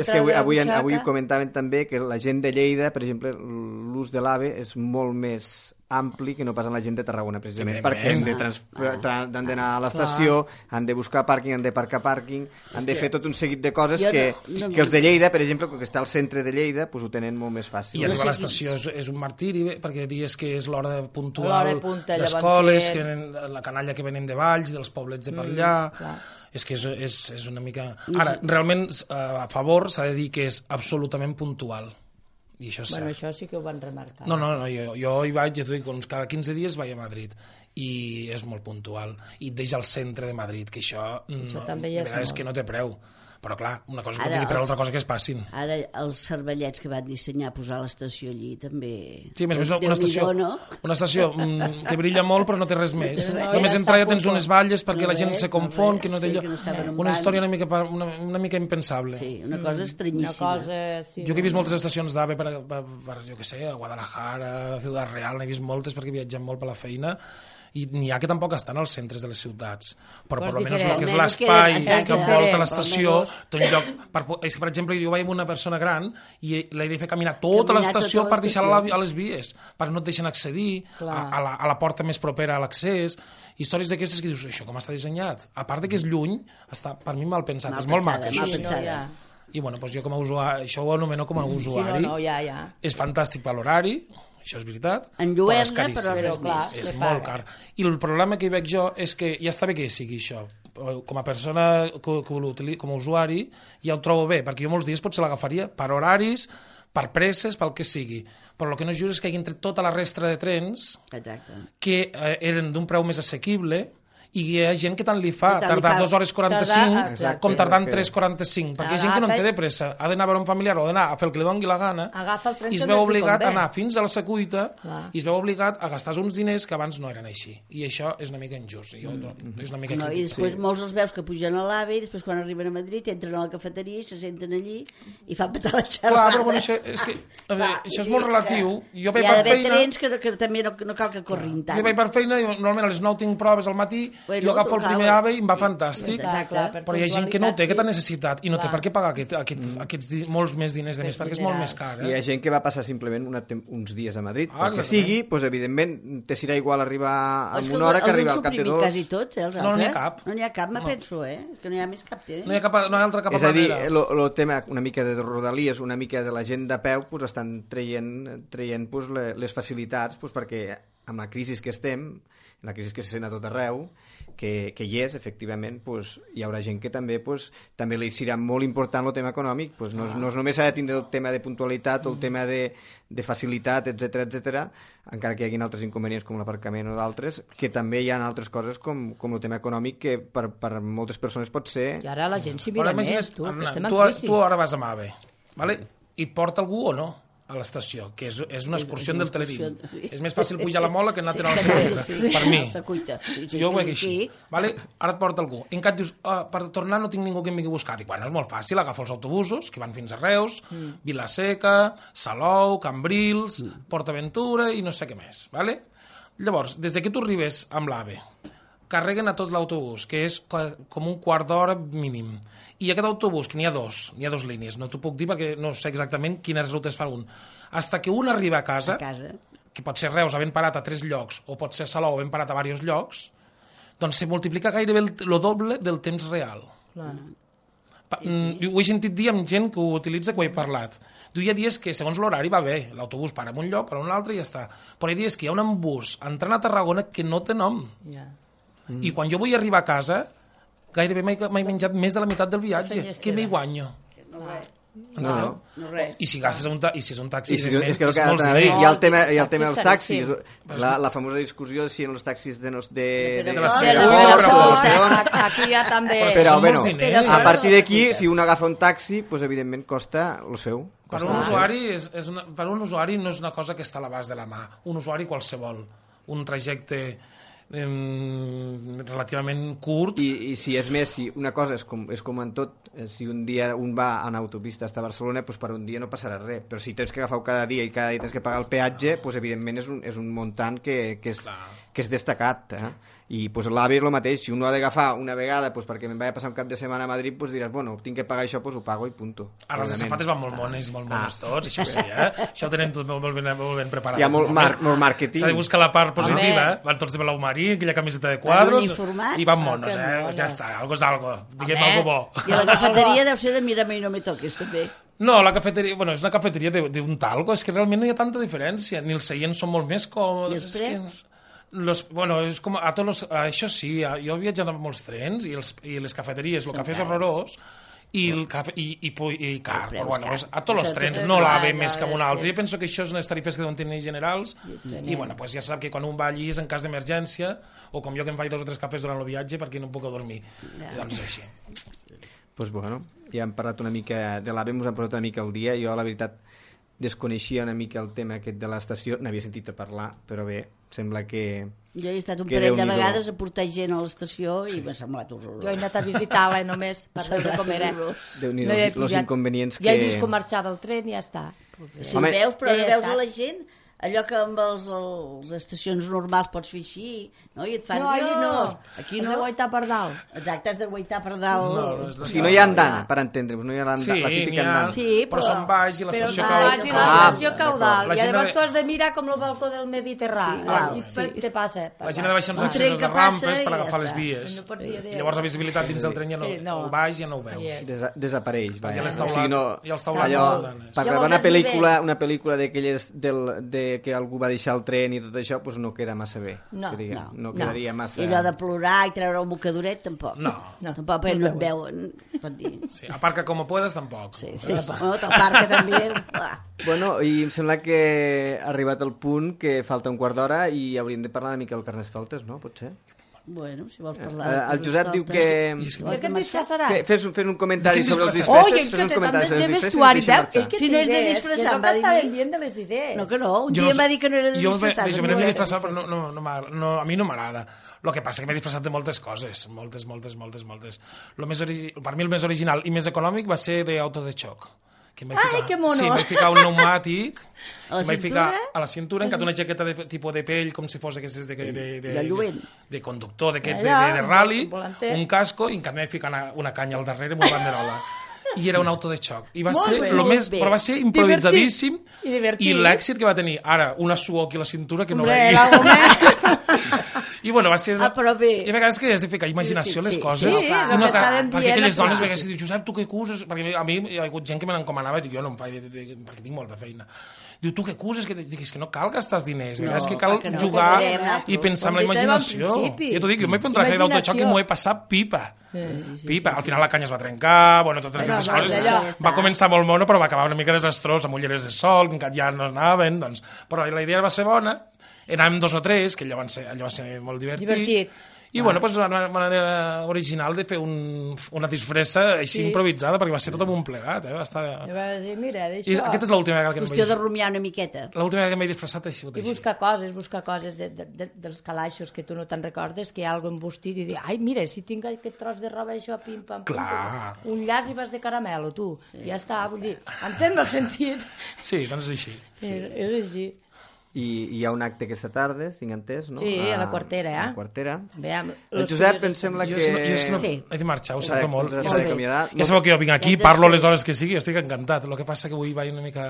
és que avui comentaven també que la gent de Lleida, per exemple, l'ús de l'AVE és molt més ampli que no pas en la gent de Tarragona, precisament, perquè han d'anar a l'estació, han de buscar pàrquing, han de parcar pàrquing, han de fer tot un seguit de coses que els de Lleida, per exemple, que està al centre de Lleida, ho tenen molt més fàcil.
I arribar a l'estació és un martiri, perquè dies que és l'hora puntual d'escoles, la canalla que venen de Valls, dels poblets de per allà... És que és una mica... Ara, realment, a favor, s'ha de dir que és absolutament puntual. I això és cert.
Això sí que ho van remarcar.
No, jo hi vaig, ja t'ho dic, cada 15 dies vaig a Madrid i és molt puntual. I et deixa al centre de Madrid, que això és que no té preu. Però clar, una cosa és que no tingui preu, altra cosa que es passin.
Ara els cervellets que van dissenyar posar l'estació allí també...
Sí, més una estació que brilla molt però no té res més. Només entrar ja tens unes valles perquè la gent se confon, que no té lloc. Una història una mica impensable.
Sí, una cosa estranyíssima.
Jo que he vist moltes estacions d'AVE per jo què sé, a Guadalajara, a Ciutat Real, n'he vist moltes perquè he viatjat molt per la feina, i n'hi ha que tampoc estan als centres de les ciutats, però per almenys el que és l'espai que envolta l'estació té un lloc, és que per exemple jo vaig amb una persona gran i l'he de fer caminar tota l'estació per deixar-la a les vies, perquè no et deixen accedir a la porta més propera a l'accés, històries d'aquestes que dius, això com està dissenyat? A part que és lluny, està per mi mal pensat, és molt maco això. I bueno, jo com a usuari, això ho anomeno com a usuari, és fantàstic per l'horari, això és veritat, però és caríssim, és molt car. I el problema que hi veig jo és que ja està bé que sigui això. Com a persona, com a usuari, ja ho trobo bé, perquè jo molts dies potser l'agafaria per horaris, per presses, pel que sigui. Però el que no és just és que hagin tret tota la resta de trens que eren d'un preu més assequible, i hi ha gent que tant li fa tardar 2 hores 45 com tardant 3:45, perquè hi ha gent que no en té de pressa, ha d'anar a veure un familiar o d'anar a fer el que li doni la gana i es veu obligat a anar fins a la Secuita i es veu obligat a gastar uns diners que abans no eren així, i això és una mica injust, és una mica crític.
I després molts els veus que pugen a l'AVE i després quan arriben a Madrid entren a la cafeteria i se senten allí i fan petar la xerrada.
Clar, però bueno, això és molt relatiu.
Hi ha d'haver trens que també no cal que corrin tant.
Jo vaig per feina i normalment a les 9 tinc proves al matí. Jo agafo el primer AVE i em va fantàstic, però hi ha gent que no ho té aquesta necessitat i no té per què pagar aquests molts més diners de més, perquè és molt més car.
Hi ha gent que va passar simplement uns dies a Madrid, perquè sigui, doncs evidentment te serà igual arribar en una hora que arribar al cap de 2.
Quasi tots, els altres.
No n'hi ha cap.
No n'hi ha cap, me penso, és que no hi ha més cap.
No hi ha altra cap a
manera. És a dir, el tema una mica de Rodalies, una mica de la gent de peu, estan traient les facilitats perquè amb la crisi que estem, la crisi que se sent a tot arreu, que hi és, efectivament, hi haurà gent que també li serà molt important el tema econòmic, no només s'ha de tindre el tema de puntualitat o el tema de facilitat, etc, encara que hi hagi altres inconvenients com l'aparcament o d'altres, que també hi ha altres coses com el tema econòmic que per moltes persones pot ser...
I ara la gent s'hi mira més, tu, que estem en crisi.
Tu ara vas amb AVE, i et porta algú o no? a l'estació, que és una excursió del Telerín.
Sí.
És més fàcil pujar a la mola que anar a tirar la secuita, per mi. Jo ho veig així. Vale? Ara et porta algú. En cap dius, per tornar no tinc ningú que em vingui a buscar. Dic, bueno, és molt fàcil, agafo els autobusos que van fins a Reus, Vilaseca, Salou, Cambrils, PortAventura i no sé què més. Vale? Llavors, des que tu arribes amb l'AVE, carreguen a tot l'autobús, que és com un quart d'hora mínim. I aquest autobús, que n'hi ha dos línies, no t'ho puc dir perquè no sé exactament quines rutes fa un. Hasta que un arriba a casa, que pot ser Reus havent parat a 3 llocs, o pot ser Salou havent parat a diversos llocs, doncs se multiplica gairebé el doble del temps real.
Clar.
Ho he sentit dir amb gent que ho utilitza, que ho he parlat. Hi ha dies que segons l'horari va bé, l'autobús para en un lloc, para en un altre i ja està. Però hi ha dies que hi ha un bus entrant a Tarragona que no té nom. I quan jo vull arribar a casa, gairebé m'he menjat més de la meitat del viatge. Què m'hi guanyo?
No.
I si gastes i si és un taxi,
és que
és molts
hi
diners.
ha el tema dels taxis, la famosa discussió si en els taxis de
la Segona.
Aquí ja també...
Però, bueno,
diners.
a partir d'aquí, si un agafa un taxi, pues, evidentment costa el seu.
Per un usuari no és una cosa que està a l'abast de la mà. Un usuari qualsevol. Un trajecte relativament curt.
I si és més, si una cosa és com en tot, si un dia un va en autopista hasta Barcelona, pues per un dia no passarà res, però si tens que agafar cada dia i cada dia tens que pagar el peatge, pues evidentment és un muntant que és destacat, i pues l'AVE és el mateix, si un ho ha d'agafar una vegada pues perquè me'n vaig a passar un cap de setmana a Madrid, pues diràs, bueno, tinc que pagar això, pues ho pago i punto.
Ara els sapates van molt mones i molt mones tots, això sí, això ho tenen tot molt ben preparat.
Hi ha molt màrqueting.
S'ha de buscar la part positiva, van tots de blau marí, aquella camiseta de quadros, i van monos, ja està, algo és algo, diguem algo bo.
I la cafeteria deu ser de mírame i no me toques, també.
No, la cafeteria, bueno, és una cafeteria d'un talco, és que realment no hi ha tanta diferència, ni els seients són molt més còmodes.
I els preus?
Bueno, és com això sí, jo he viatjat amb molts trens i les cafeteries, el cafè és horrorós i car, però bueno, a tots els trens no l'AVE més que amb un altre. Jo penso que això és unes tarifes que deuen tenir generals i bueno, pues ja sap que quan un va allí és en cas d'emergència o com jo que em faig 2 o 3 cafès durant el viatge perquè no em puc dormir, doncs així.
Doncs bueno, ja hem parlat una mica de l'AVE, ens hem posat una mica al dia. Jo la veritat desconeixia una mica el tema aquest de l'estació, n'havia sentit a parlar, però bé, sembla que...
Jo he estat un parell de vegades a portar gent a l'estació i m'ha semblat horrorós.
Jo he anat a visitar-la només per veure com era.
Déu-n'hi-do, els inconvenients que...
Ja he vist com marxava el tren i ja està.
Si ho veus, però veus a la gent... Allò que amb les estacions normals pots fer així, no? I et fan...
No,
aquí
no. Has de guaitar per dalt.
Exacte, has de guaitar per dalt.
O sigui, no hi ha andana, per entendre-vos, no hi ha la típica andana.
Sí, però són baix i l'estació
caudal. I l'estació caudal. I llavors tu has de mirar com el balcó del Mediterrani. I te passa.
La gent ha de baixar uns accessos de rampes per agafar les vies. I llavors la visibilitat dins del tren ja no... El baix ja no ho veus.
Desapareix.
I els taulats.
Per gravar una pel·lícula d'aquelles que algú va deixar el tren i tot això, doncs no queda massa bé. No quedaria massa...
I allò de plorar i treure un mocadoret, tampoc.
No.
Tampoc, perquè no et veuen, pot dir.
Sí, aparca com puedes, tampoc.
Sí, aparca també.
Bueno, i em sembla que ha arribat el punt que falta un quart d'hora i hauríem de parlar una mica del Carnestoltes, no? Potser?
Bueno, si vols parlar...
El Josep diu que...
Que et disfressaràs?
Fes un comentari sobre els disfresses.
Oye, que també de vestuari, veus?
Si no és de disfressar,
va dir... És dient de les idees.
No, que no. Un dia m'ha dit que no era de disfressar.
Jo m'he de disfressar, però a mi no m'agrada. El que passa que m'he disfressat de moltes coses. Moltes. Per mi el més original i més econòmic va ser d'auto de xoc.
Ai, que mono!
Sí, m'he ficat un pneumàtic
a
la cintura, encat una jaqueta de tipus de pell, com si fos aquestes de conductor, d'aquests de rally, un casco, i encat m'he ficat una canya al darrere amb una banderola. I era un auto de xoc. I va ser però va ser improvisadíssim i l'èxit que va tenir. Ara, una suor aquí a la cintura que no veia. I bueno, va ser... I a vegades que has de ficar imaginació a les coses.
Sí, perquè
aquelles dones a vegades que diuen, Josep, tu què cuses? Perquè a mi hi ha hagut gent que me n'encomanava i dic, jo no em faig, perquè tinc molta feina. Diu, tu què cuses? Dic, és que no cal gastar els diners, és que cal jugar i pensar en la imaginació. Jo t'ho dic, jo m'he fet un traje d'autoxoc i m'ho he passat pipa. Pipa. Al final la canya es va trencar, bueno, totes aquestes coses. Va començar molt mono, però va acabar una mica desastrós, amb ulleres de sol, que encara ja no anaven, doncs... Però la idea va ser bona, anàvem 2 o 3, que allò va ser molt divertit. I bueno, doncs una manera original de fer una disfressa així improvisada, perquè va ser tot amb un plegat, va estar...
I va dir, mira,
I
d'això...
aquesta és l'última vegada que
Qüestió de rumiar una miqueta.
L'última vegada que m'he disfressat ha sigut
I
així.
buscar coses dels calaixos que tu no te'n recordes, que hi ha alguna embostit, i dir, ai, mira, si tinc aquest tros de roba, això, pim-pam,
Clar.
un llaç i vas de caramel, tu. Sí. Ja està, vull dir, entén el sentit.
Sí, doncs és així.
És així.
I hi ha un acte aquesta tarda, tinc entès, no?
Sí, a la Quartera,
A la Quartera.
Veiem,
El Josep em sembla que...
Jo és que no,
Sí.
he de marxar, ho sento molt.
Us has d'acomiadar.
Ja sabeu que jo vinc aquí, parlo les hores que sigui, estic encantat. El que passa que avui vaig una mica...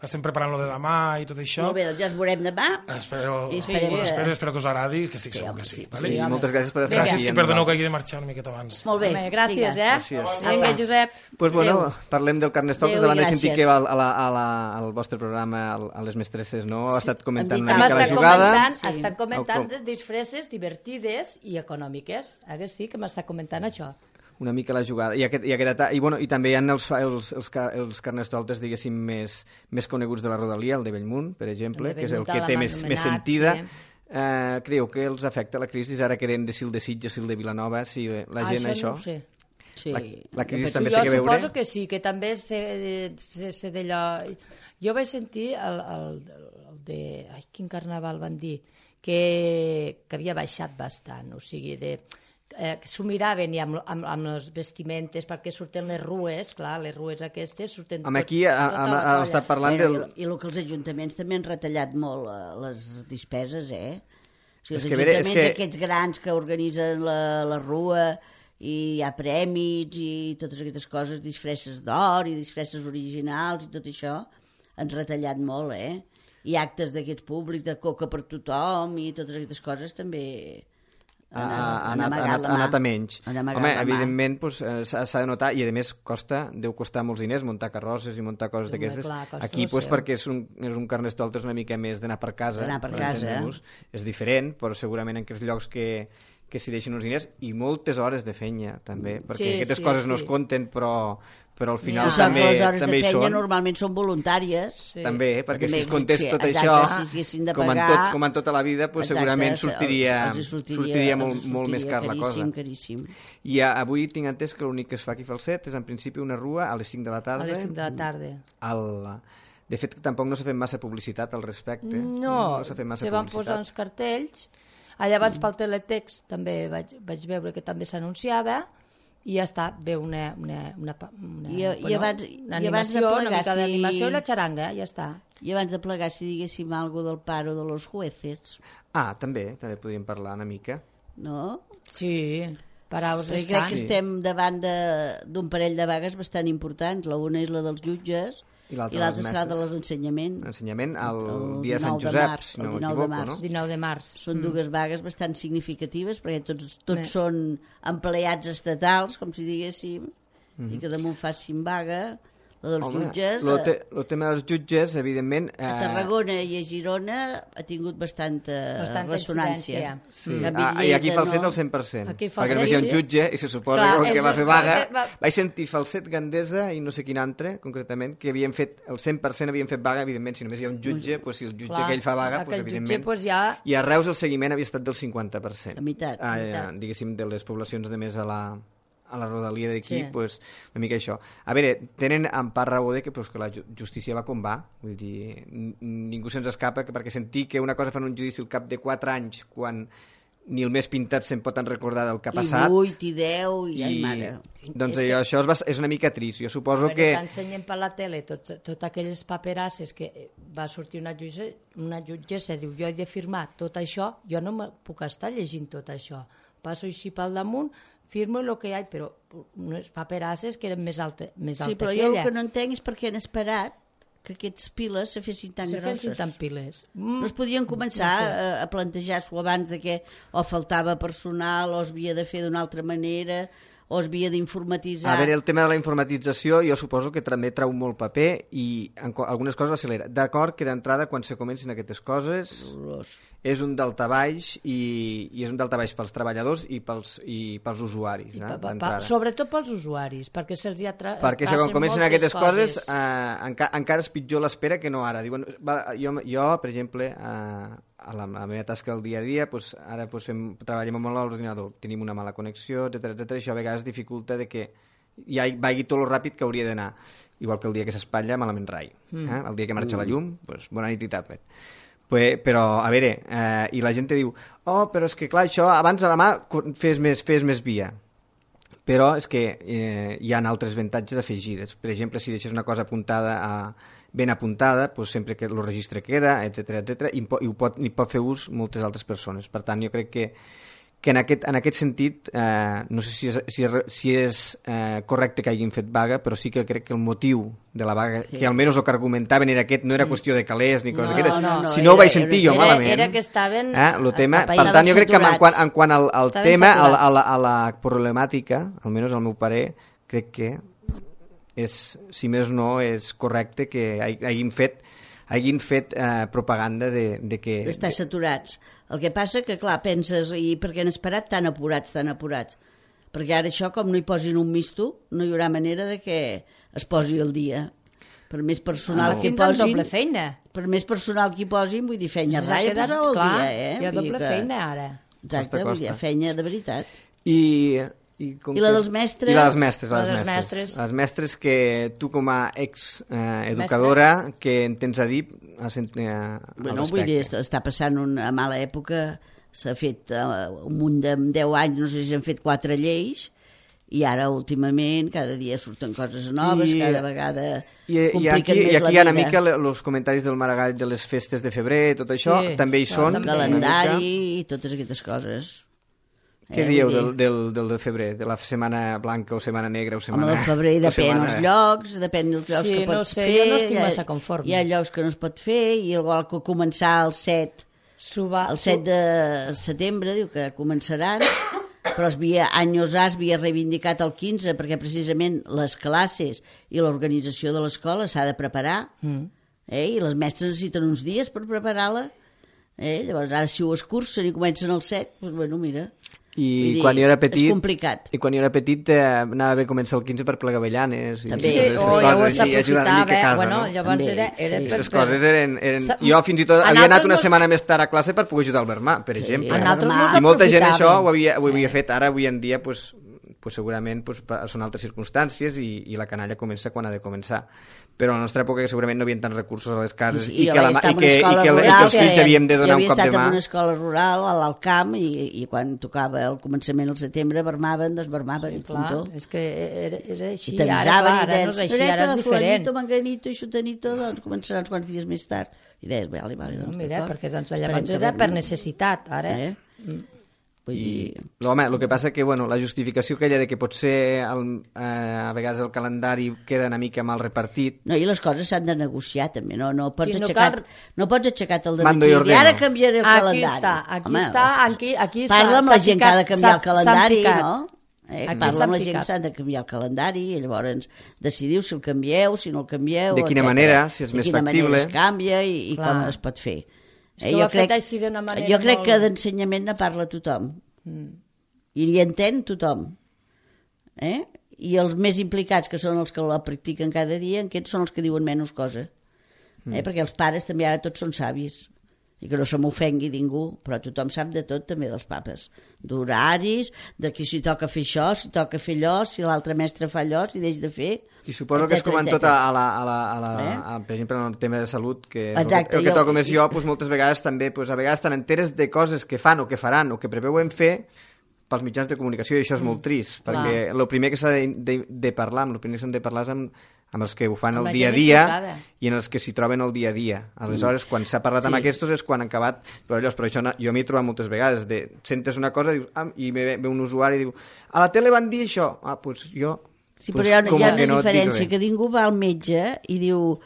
Estem preparant lo de demà i tot això.
Molt bé, doncs ja ens veurem demà.
Espero que us agradi, que estic segur que sí. Vale?
Sí, moltes gràcies per estar
Gràcies
aquí.
i perdoneu que hagi de marxar una miqueta abans.
Molt bé.
Home, gràcies,
Gràcies.
Vinga, Josep.
Pues bueno,
Adéu.
parlem del Carnestoltes,
Adéu i
davant de sentir
gràcies.
que al vostre programa, a les mestresses, no? Ha estat comentant
Hem
una
dit
mica la
M'està
jugada.
estan comentant
Com?
de disfresses divertides i econòmiques. Que sí que m'està comentant això.
Una mica la jugada. I també hi ha els Carnestoltes, diguéssim, més coneguts de la Rodalia, el de Bellmunt, per exemple,
El de
que és el
Bellmunt,
que té
l'han
més
anomenat,
sentida.
sí.
Creieu que els afecta la crisi? Ara queden de Sil de Sitges, Sil de Vilanova, si la gent
Això no ho sé.
Sí.
La crisi també
Jo
té que veure...
suposo que sí, que també sé d'allò... Jo vaig sentir el de... Ai, quin carnaval van dir? Que havia baixat bastant, o sigui, que s'ho miraven i amb les vestimentes perquè surten les rues, clar, les rues aquestes surten...
Home, aquí ha estat parlant del...
I el que els ajuntaments també han retallat molt les despeses, O sigui, els
És que, a veure,
ajuntaments aquests grans que organitzen la rua i hi ha prèmits i totes aquestes coses, disfresses d'or i disfresses originals i tot això, han retallat molt, I actes d'aquests públics, de coca per tothom i totes aquestes coses també
ha anat a menys. Home, evidentment s'ha de notar, i a més deu costar molts diners muntar carrosses i muntar coses d'aquestes. Aquí perquè és un Carnestoltes una mica més d'anar per casa. És diferent, però segurament en aquests llocs que s'hi deixen uns diners i moltes hores de feina també, perquè aquestes coses no es compten, però al final també hi són.
Les hores de feina normalment són voluntàries.
També, perquè si es comptés tot això, com en tota la vida, segurament sortiria molt més car la cosa.
Caríssim.
I avui tinc entès que l'únic que es fa aquí a Falset és en principi una rua a les 5 de la tarda.
A les 5 de la tarda.
De fet, tampoc no s'ha fet massa publicitat al respecte.
No,
s'ha fet massa
se van
publicitat.
posar uns cartells. Llavors pel teletext també vaig veure que també s'anunciava i ja està, ve una animació, una mica d'animació i la xaranga, ja està.
I abans de plegar, si diguéssim alguna del paro de los jueces.
També podríem parlar una mica.
No?
Sí, paraus
crec que estem davant d'un parell de vagues bastant importants. La una és la dels jutges i l'altra serà de l'ensenyament.
L'ensenyament el dia de Sant Josep, si no m'equivoco, no?
19 de març.
Són dues vagues bastant significatives perquè tots són empleats estatals, com si diguéssim, i que damunt facin vaga. La dels jutges...
El tema dels jutges, evidentment...
A Tarragona i a Girona ha tingut bastanta ressonància.
Sí. I aquí Falset al 100%. Perquè només hi ha un jutge i se suposa que va fer vaga. Vaig sentir Falset, Gandesa i no sé quin altre, concretament, que havien fet el 100% havien fet vaga, evidentment, si només hi ha un jutge, si el jutge aquell fa vaga, evidentment... I a Reus el seguiment havia estat del 50%.
La meitat.
Diguéssim, de les poblacions de més a la rodalia d'aquí, una mica això. A veure, tenen en part raó que la justícia va com va, vull dir, ningú se'ns escapa, perquè sentir que una cosa fan un judici al cap de 4 anys, quan ni el més pintat se'n pot recordar del que ha passat...
I 8, i 10, i ai, mare...
Doncs això és una mica trist. Jo suposo que...
T'ensenyen per la tele tot aquelles paperasses que va sortir una jutgessa, diu, jo he de firmar tot això, jo no me puc estar llegint tot això. Passo així pel damunt, firmo el que hi ha, però unes paperasses que eren més alta que ella.
Sí, però jo el que no entenc és per què han esperat que aquests piles se fessin tan grosses.
Se fessin tan piles.
No es podien començar a plantejar-s'ho abans de que o faltava personal o es havia de fer d'una altra manera o es havia d'informatitzar.
A veure, el tema de la informatització jo suposo que també trau molt paper i algunes coses accelera. D'acord que d'entrada quan se comencin aquestes coses és un daltabaix i és un daltabaix pels treballadors i pels usuaris.
Sobretot pels usuaris, perquè se'ls hi
perquè quan comencen aquestes coses encara és pitjor l'espera que no ara. Diuen, jo, per exemple, a la meva tasca del dia a dia, ara treballem molt a l'ordinador, tenim una mala connexió, etc. Això a vegades dificulta de que ja vagi tot el ràpid que hauria d'anar. Igual que el dia que s'espatlla, malament rai. El dia que marxa la llum, bona nit i tapet. Però, a veure, i la gent te diu, però és que clar, això abans a la mà fes més via. Però és que hi ha altres avantatges afegides. Per exemple, si deixes una cosa ben apuntada, sempre que el registre queda, etc i pot fer ús moltes altres persones. Per tant, jo crec que en aquest sentit, no sé si és correcte que hagin fet vaga, però sí que crec que el motiu de la vaga, que almenys el que argumentaven era aquest, no era qüestió de calés ni cosa d'aquestes, si no ho vaig sentir jo malament.
Era que estaven...
Per tant, jo crec que en quant al tema, a la problemàtica, almenys al meu parer, crec que si més no és correcte que hagin fet propaganda de que...
D'estar saturats. El que passa que, clar, penses, i per què han esperat tan apurats? Perquè ara això, com no hi posin un misto, no hi haurà manera de que es posi el dia. Per més personal que posin...
doble feina.
Per més personal que hi posin, vull dir, feina raia posar-ho al dia,
Hi ha doble feina, ara.
Exacte, vull dir, feina de veritat.
I la dels mestres? I la dels mestres. Les mestres que tu com a ex-educadora, què en tens a dir al respecte?
Vull dir, està passant una mala època, s'ha fet un munt de 10 anys, no sé si s'han fet 4 lleis, i ara últimament cada dia surten coses noves, cada vegada compliquen més la vida. I aquí hi ha una mica els comentaris del Maragall de les festes de febrer, tot això, també hi són. El calendari i totes aquestes coses.
Què dieu del de febrer? De la setmana blanca o setmana negra o setmana...
Home, el febrer depèn dels llocs, depèn dels llocs que pots fer.
Jo no estic massa conforme.
Hi ha llocs que no es pot fer, i igual que començar el 7 de setembre, diu que començaran, però anys havia reivindicat el 15, perquè precisament les classes i l'organització de l'escola s'ha de preparar, i les mestres necessiten uns dies per preparar-la. Llavors, ara si ho escurcen i comencen el 7, doncs bueno, mira...
I quan jo era petit,
és complicat.
I quan jo era petit anava bé començar el 15 per plegar avellanes
també.
I ajudar una mica a casa.
Bueno, llavors era
aquestes coses eren... Jo fins i tot havia anat una setmana més tard a classe per poder ajudar el Bermà, per exemple. I molta gent això ho havia fet. Ara, avui en dia, segurament són altres circumstàncies i la canalla comença quan ha de començar. Però a la nostra època segurament no hi havia tants recursos a les cases i que els fills havíem de donar un cop de mà.
Jo havia estat en una escola rural, a l'Alt Camp, i quan tocava el començament al setembre bermaven, doncs bermaven.
És que era així,
ara
no és així, ara és diferent.
Manganito i xutanito, doncs començarà uns quants dies més tard. I deies, vale, doncs
mira, perquè llavors era per necessitat, ara.
Home, el que passa que la justificació aquella de que potser a vegades el calendari queda una mica mal repartit.
No, i les coses s'han de negociar també, no pots aixecar el dematí i ara canviaré el calendari.
Aquí
parla amb la gent que ha de canviar el calendari, no? Parla amb la gent que s'ha de canviar el calendari i llavors decidiu si el canvieu, si no el canvieu,
de quina manera, si és més factible,
de quina manera es canvia i com es pot fer.
Jo crec
que d'ensenyament ne parla tothom i hi entén tothom, i els més implicats, que són els que la practiquen cada dia, aquests són els que diuen menys cosa, perquè els pares també ara tots són savis i que no se m'ofengui ningú, però tothom sap de tot, també dels papes, d'horaris, de qui si toca fer això, si toca fer allò, si l'altre mestre fa allò, si deix de fer.
I suposo que és com en tot, per exemple, en el tema de salut, que el que toco més jo, moltes vegades també, a vegades estan enteres de coses que fan o que faran o que preveuen fer pels mitjans de comunicació, i això és molt trist, perquè el primer que s'ha de parlar, el primer que s'han de parlar és amb els que ho fan el dia a dia i en els que s'hi troben el dia a dia. Aleshores, quan s'ha parlat amb aquests és quan han acabat... Però això jo m'hi he trobat moltes vegades. Sentes una cosa i ve un usuari i diu a la tele van dir això. Doncs jo...
Sí, però hi ha una diferència, que ningú va al metge i diu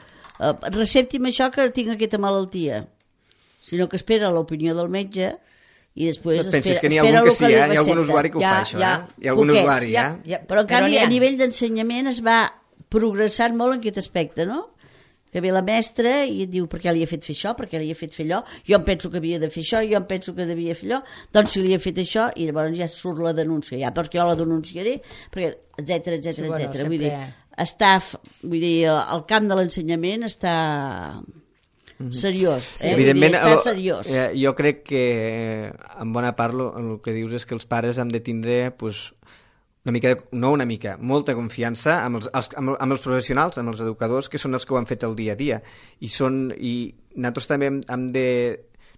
recepti'm això que tinc aquesta malaltia, sinó que espera l'opinió del metge i després
penses que n'hi ha algun que sí, hi ha algun usuari que ho fa, això, hi ha algun usuari,
però en canvi a nivell d'ensenyament es va progressant molt en aquest aspecte, no? que ve la mestra i et diu per què li he fet fer això, per què li he fet fer allò, jo em penso que havia de fer això, jo em penso que devia fer allò, doncs si li he fet això, i llavors ja surt la denúncia, ja perquè jo la denunciaré, perquè etcètera. Vull dir, el camp de l'ensenyament està seriós,
Evidentment,
està seriós.
Jo crec que en bona part el que dius és que els pares hem de tindre molta confiança amb els professionals, amb els educadors, que són els que ho han fet el dia a dia. I nosaltres també hem de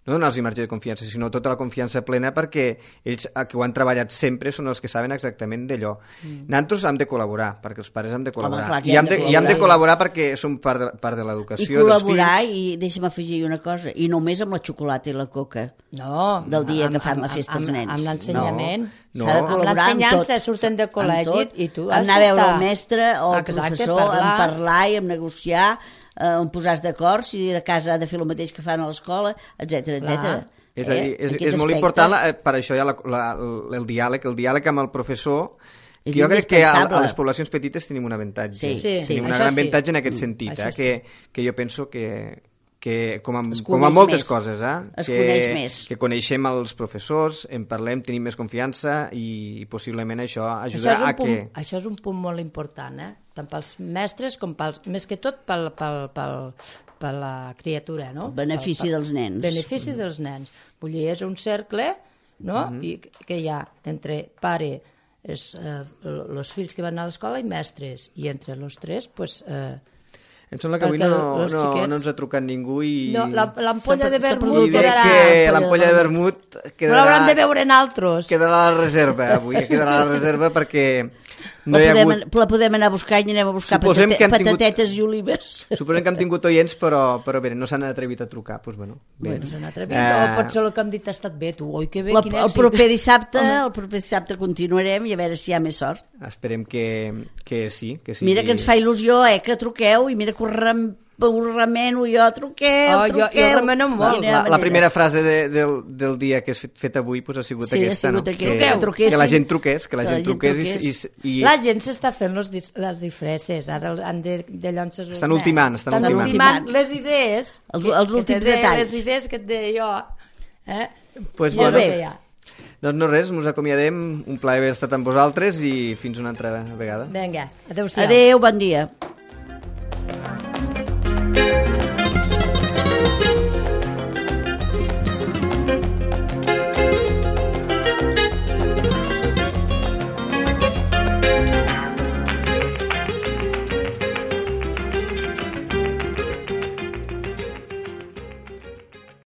no donar-los marge de confiança, sinó tota la confiança plena, perquè ells que ho han treballat sempre són els que saben exactament d'allò. Nosaltres hem de col·laborar, perquè els pares hem de col·laborar. I hem de col·laborar perquè som part de l'educació dels fills. I
col·laborar, i deixa'm afegir una cosa, i només amb la xocolata i la coca del dia que fan la festa els nens.
Amb l'ensenyament.
S'ha de col·laborar amb
l'ensenyança, surten de col·legi i tu has
anar a veure el mestre o el professor,
en
parlar i en negociar, on posar-se d'acord, si de casa ha de fer el mateix que fan a l'escola, etcètera.
És a dir, és molt important, per això hi ha el diàleg amb el professor, que jo crec que a les poblacions petites tenim un avantatge. Tenim un gran avantatge en aquest sentit, que jo penso que com a moltes coses,
es coneix més.
Que coneixem els professors, en parlem, tenim més confiança i possiblement això ajudarà a que...
Això és un punt molt important, tant pels mestres com més que tot per la criatura, no?
Benefici dels nens.
Benefici dels nens. Vull dir, és un cercle, no? I que hi ha entre pare, els fills que van a l'escola i mestres, i entre els tres, doncs...
Em sembla que avui no ens ha trucat ningú i...
No, l'ampolla de vermut
quedarà... L'ampolla de vermut quedarà...
No l'hauran de veure en altres.
Quedarà a la reserva, avui. Quedarà a la reserva perquè no hi ha hagut...
La podem anar a buscar i anem a buscar patatetes i olives.
Suposem que hem tingut oients, però bé, no s'han atrevit a trucar. Doncs bueno, bé.
No s'han atrevit, o potser el que hem dit ha estat bé, tu. Oi, que bé, quin èxit.
El proper dissabte continuarem i a veure si hi ha més sort.
Esperem que sí.
Mira que ens fa il·lusió, que truqueu, i mira que ho remeno jo, truqueu.
Jo remeno molt.
La primera frase del dia que has fet avui ha sigut aquesta, no? Que la gent truqués, i...
La gent s'està fent les disfresses, ara han de llançar els nens.
Estan ultimant
les idees,
els últims detalls.
Les idees que et deia jo.
Pues molt bé. Doncs no res, ens acomiadem, un plaer haver estat amb vosaltres i fins una altra vegada.
Vinga, adéu-siau.
Adéu, bon dia.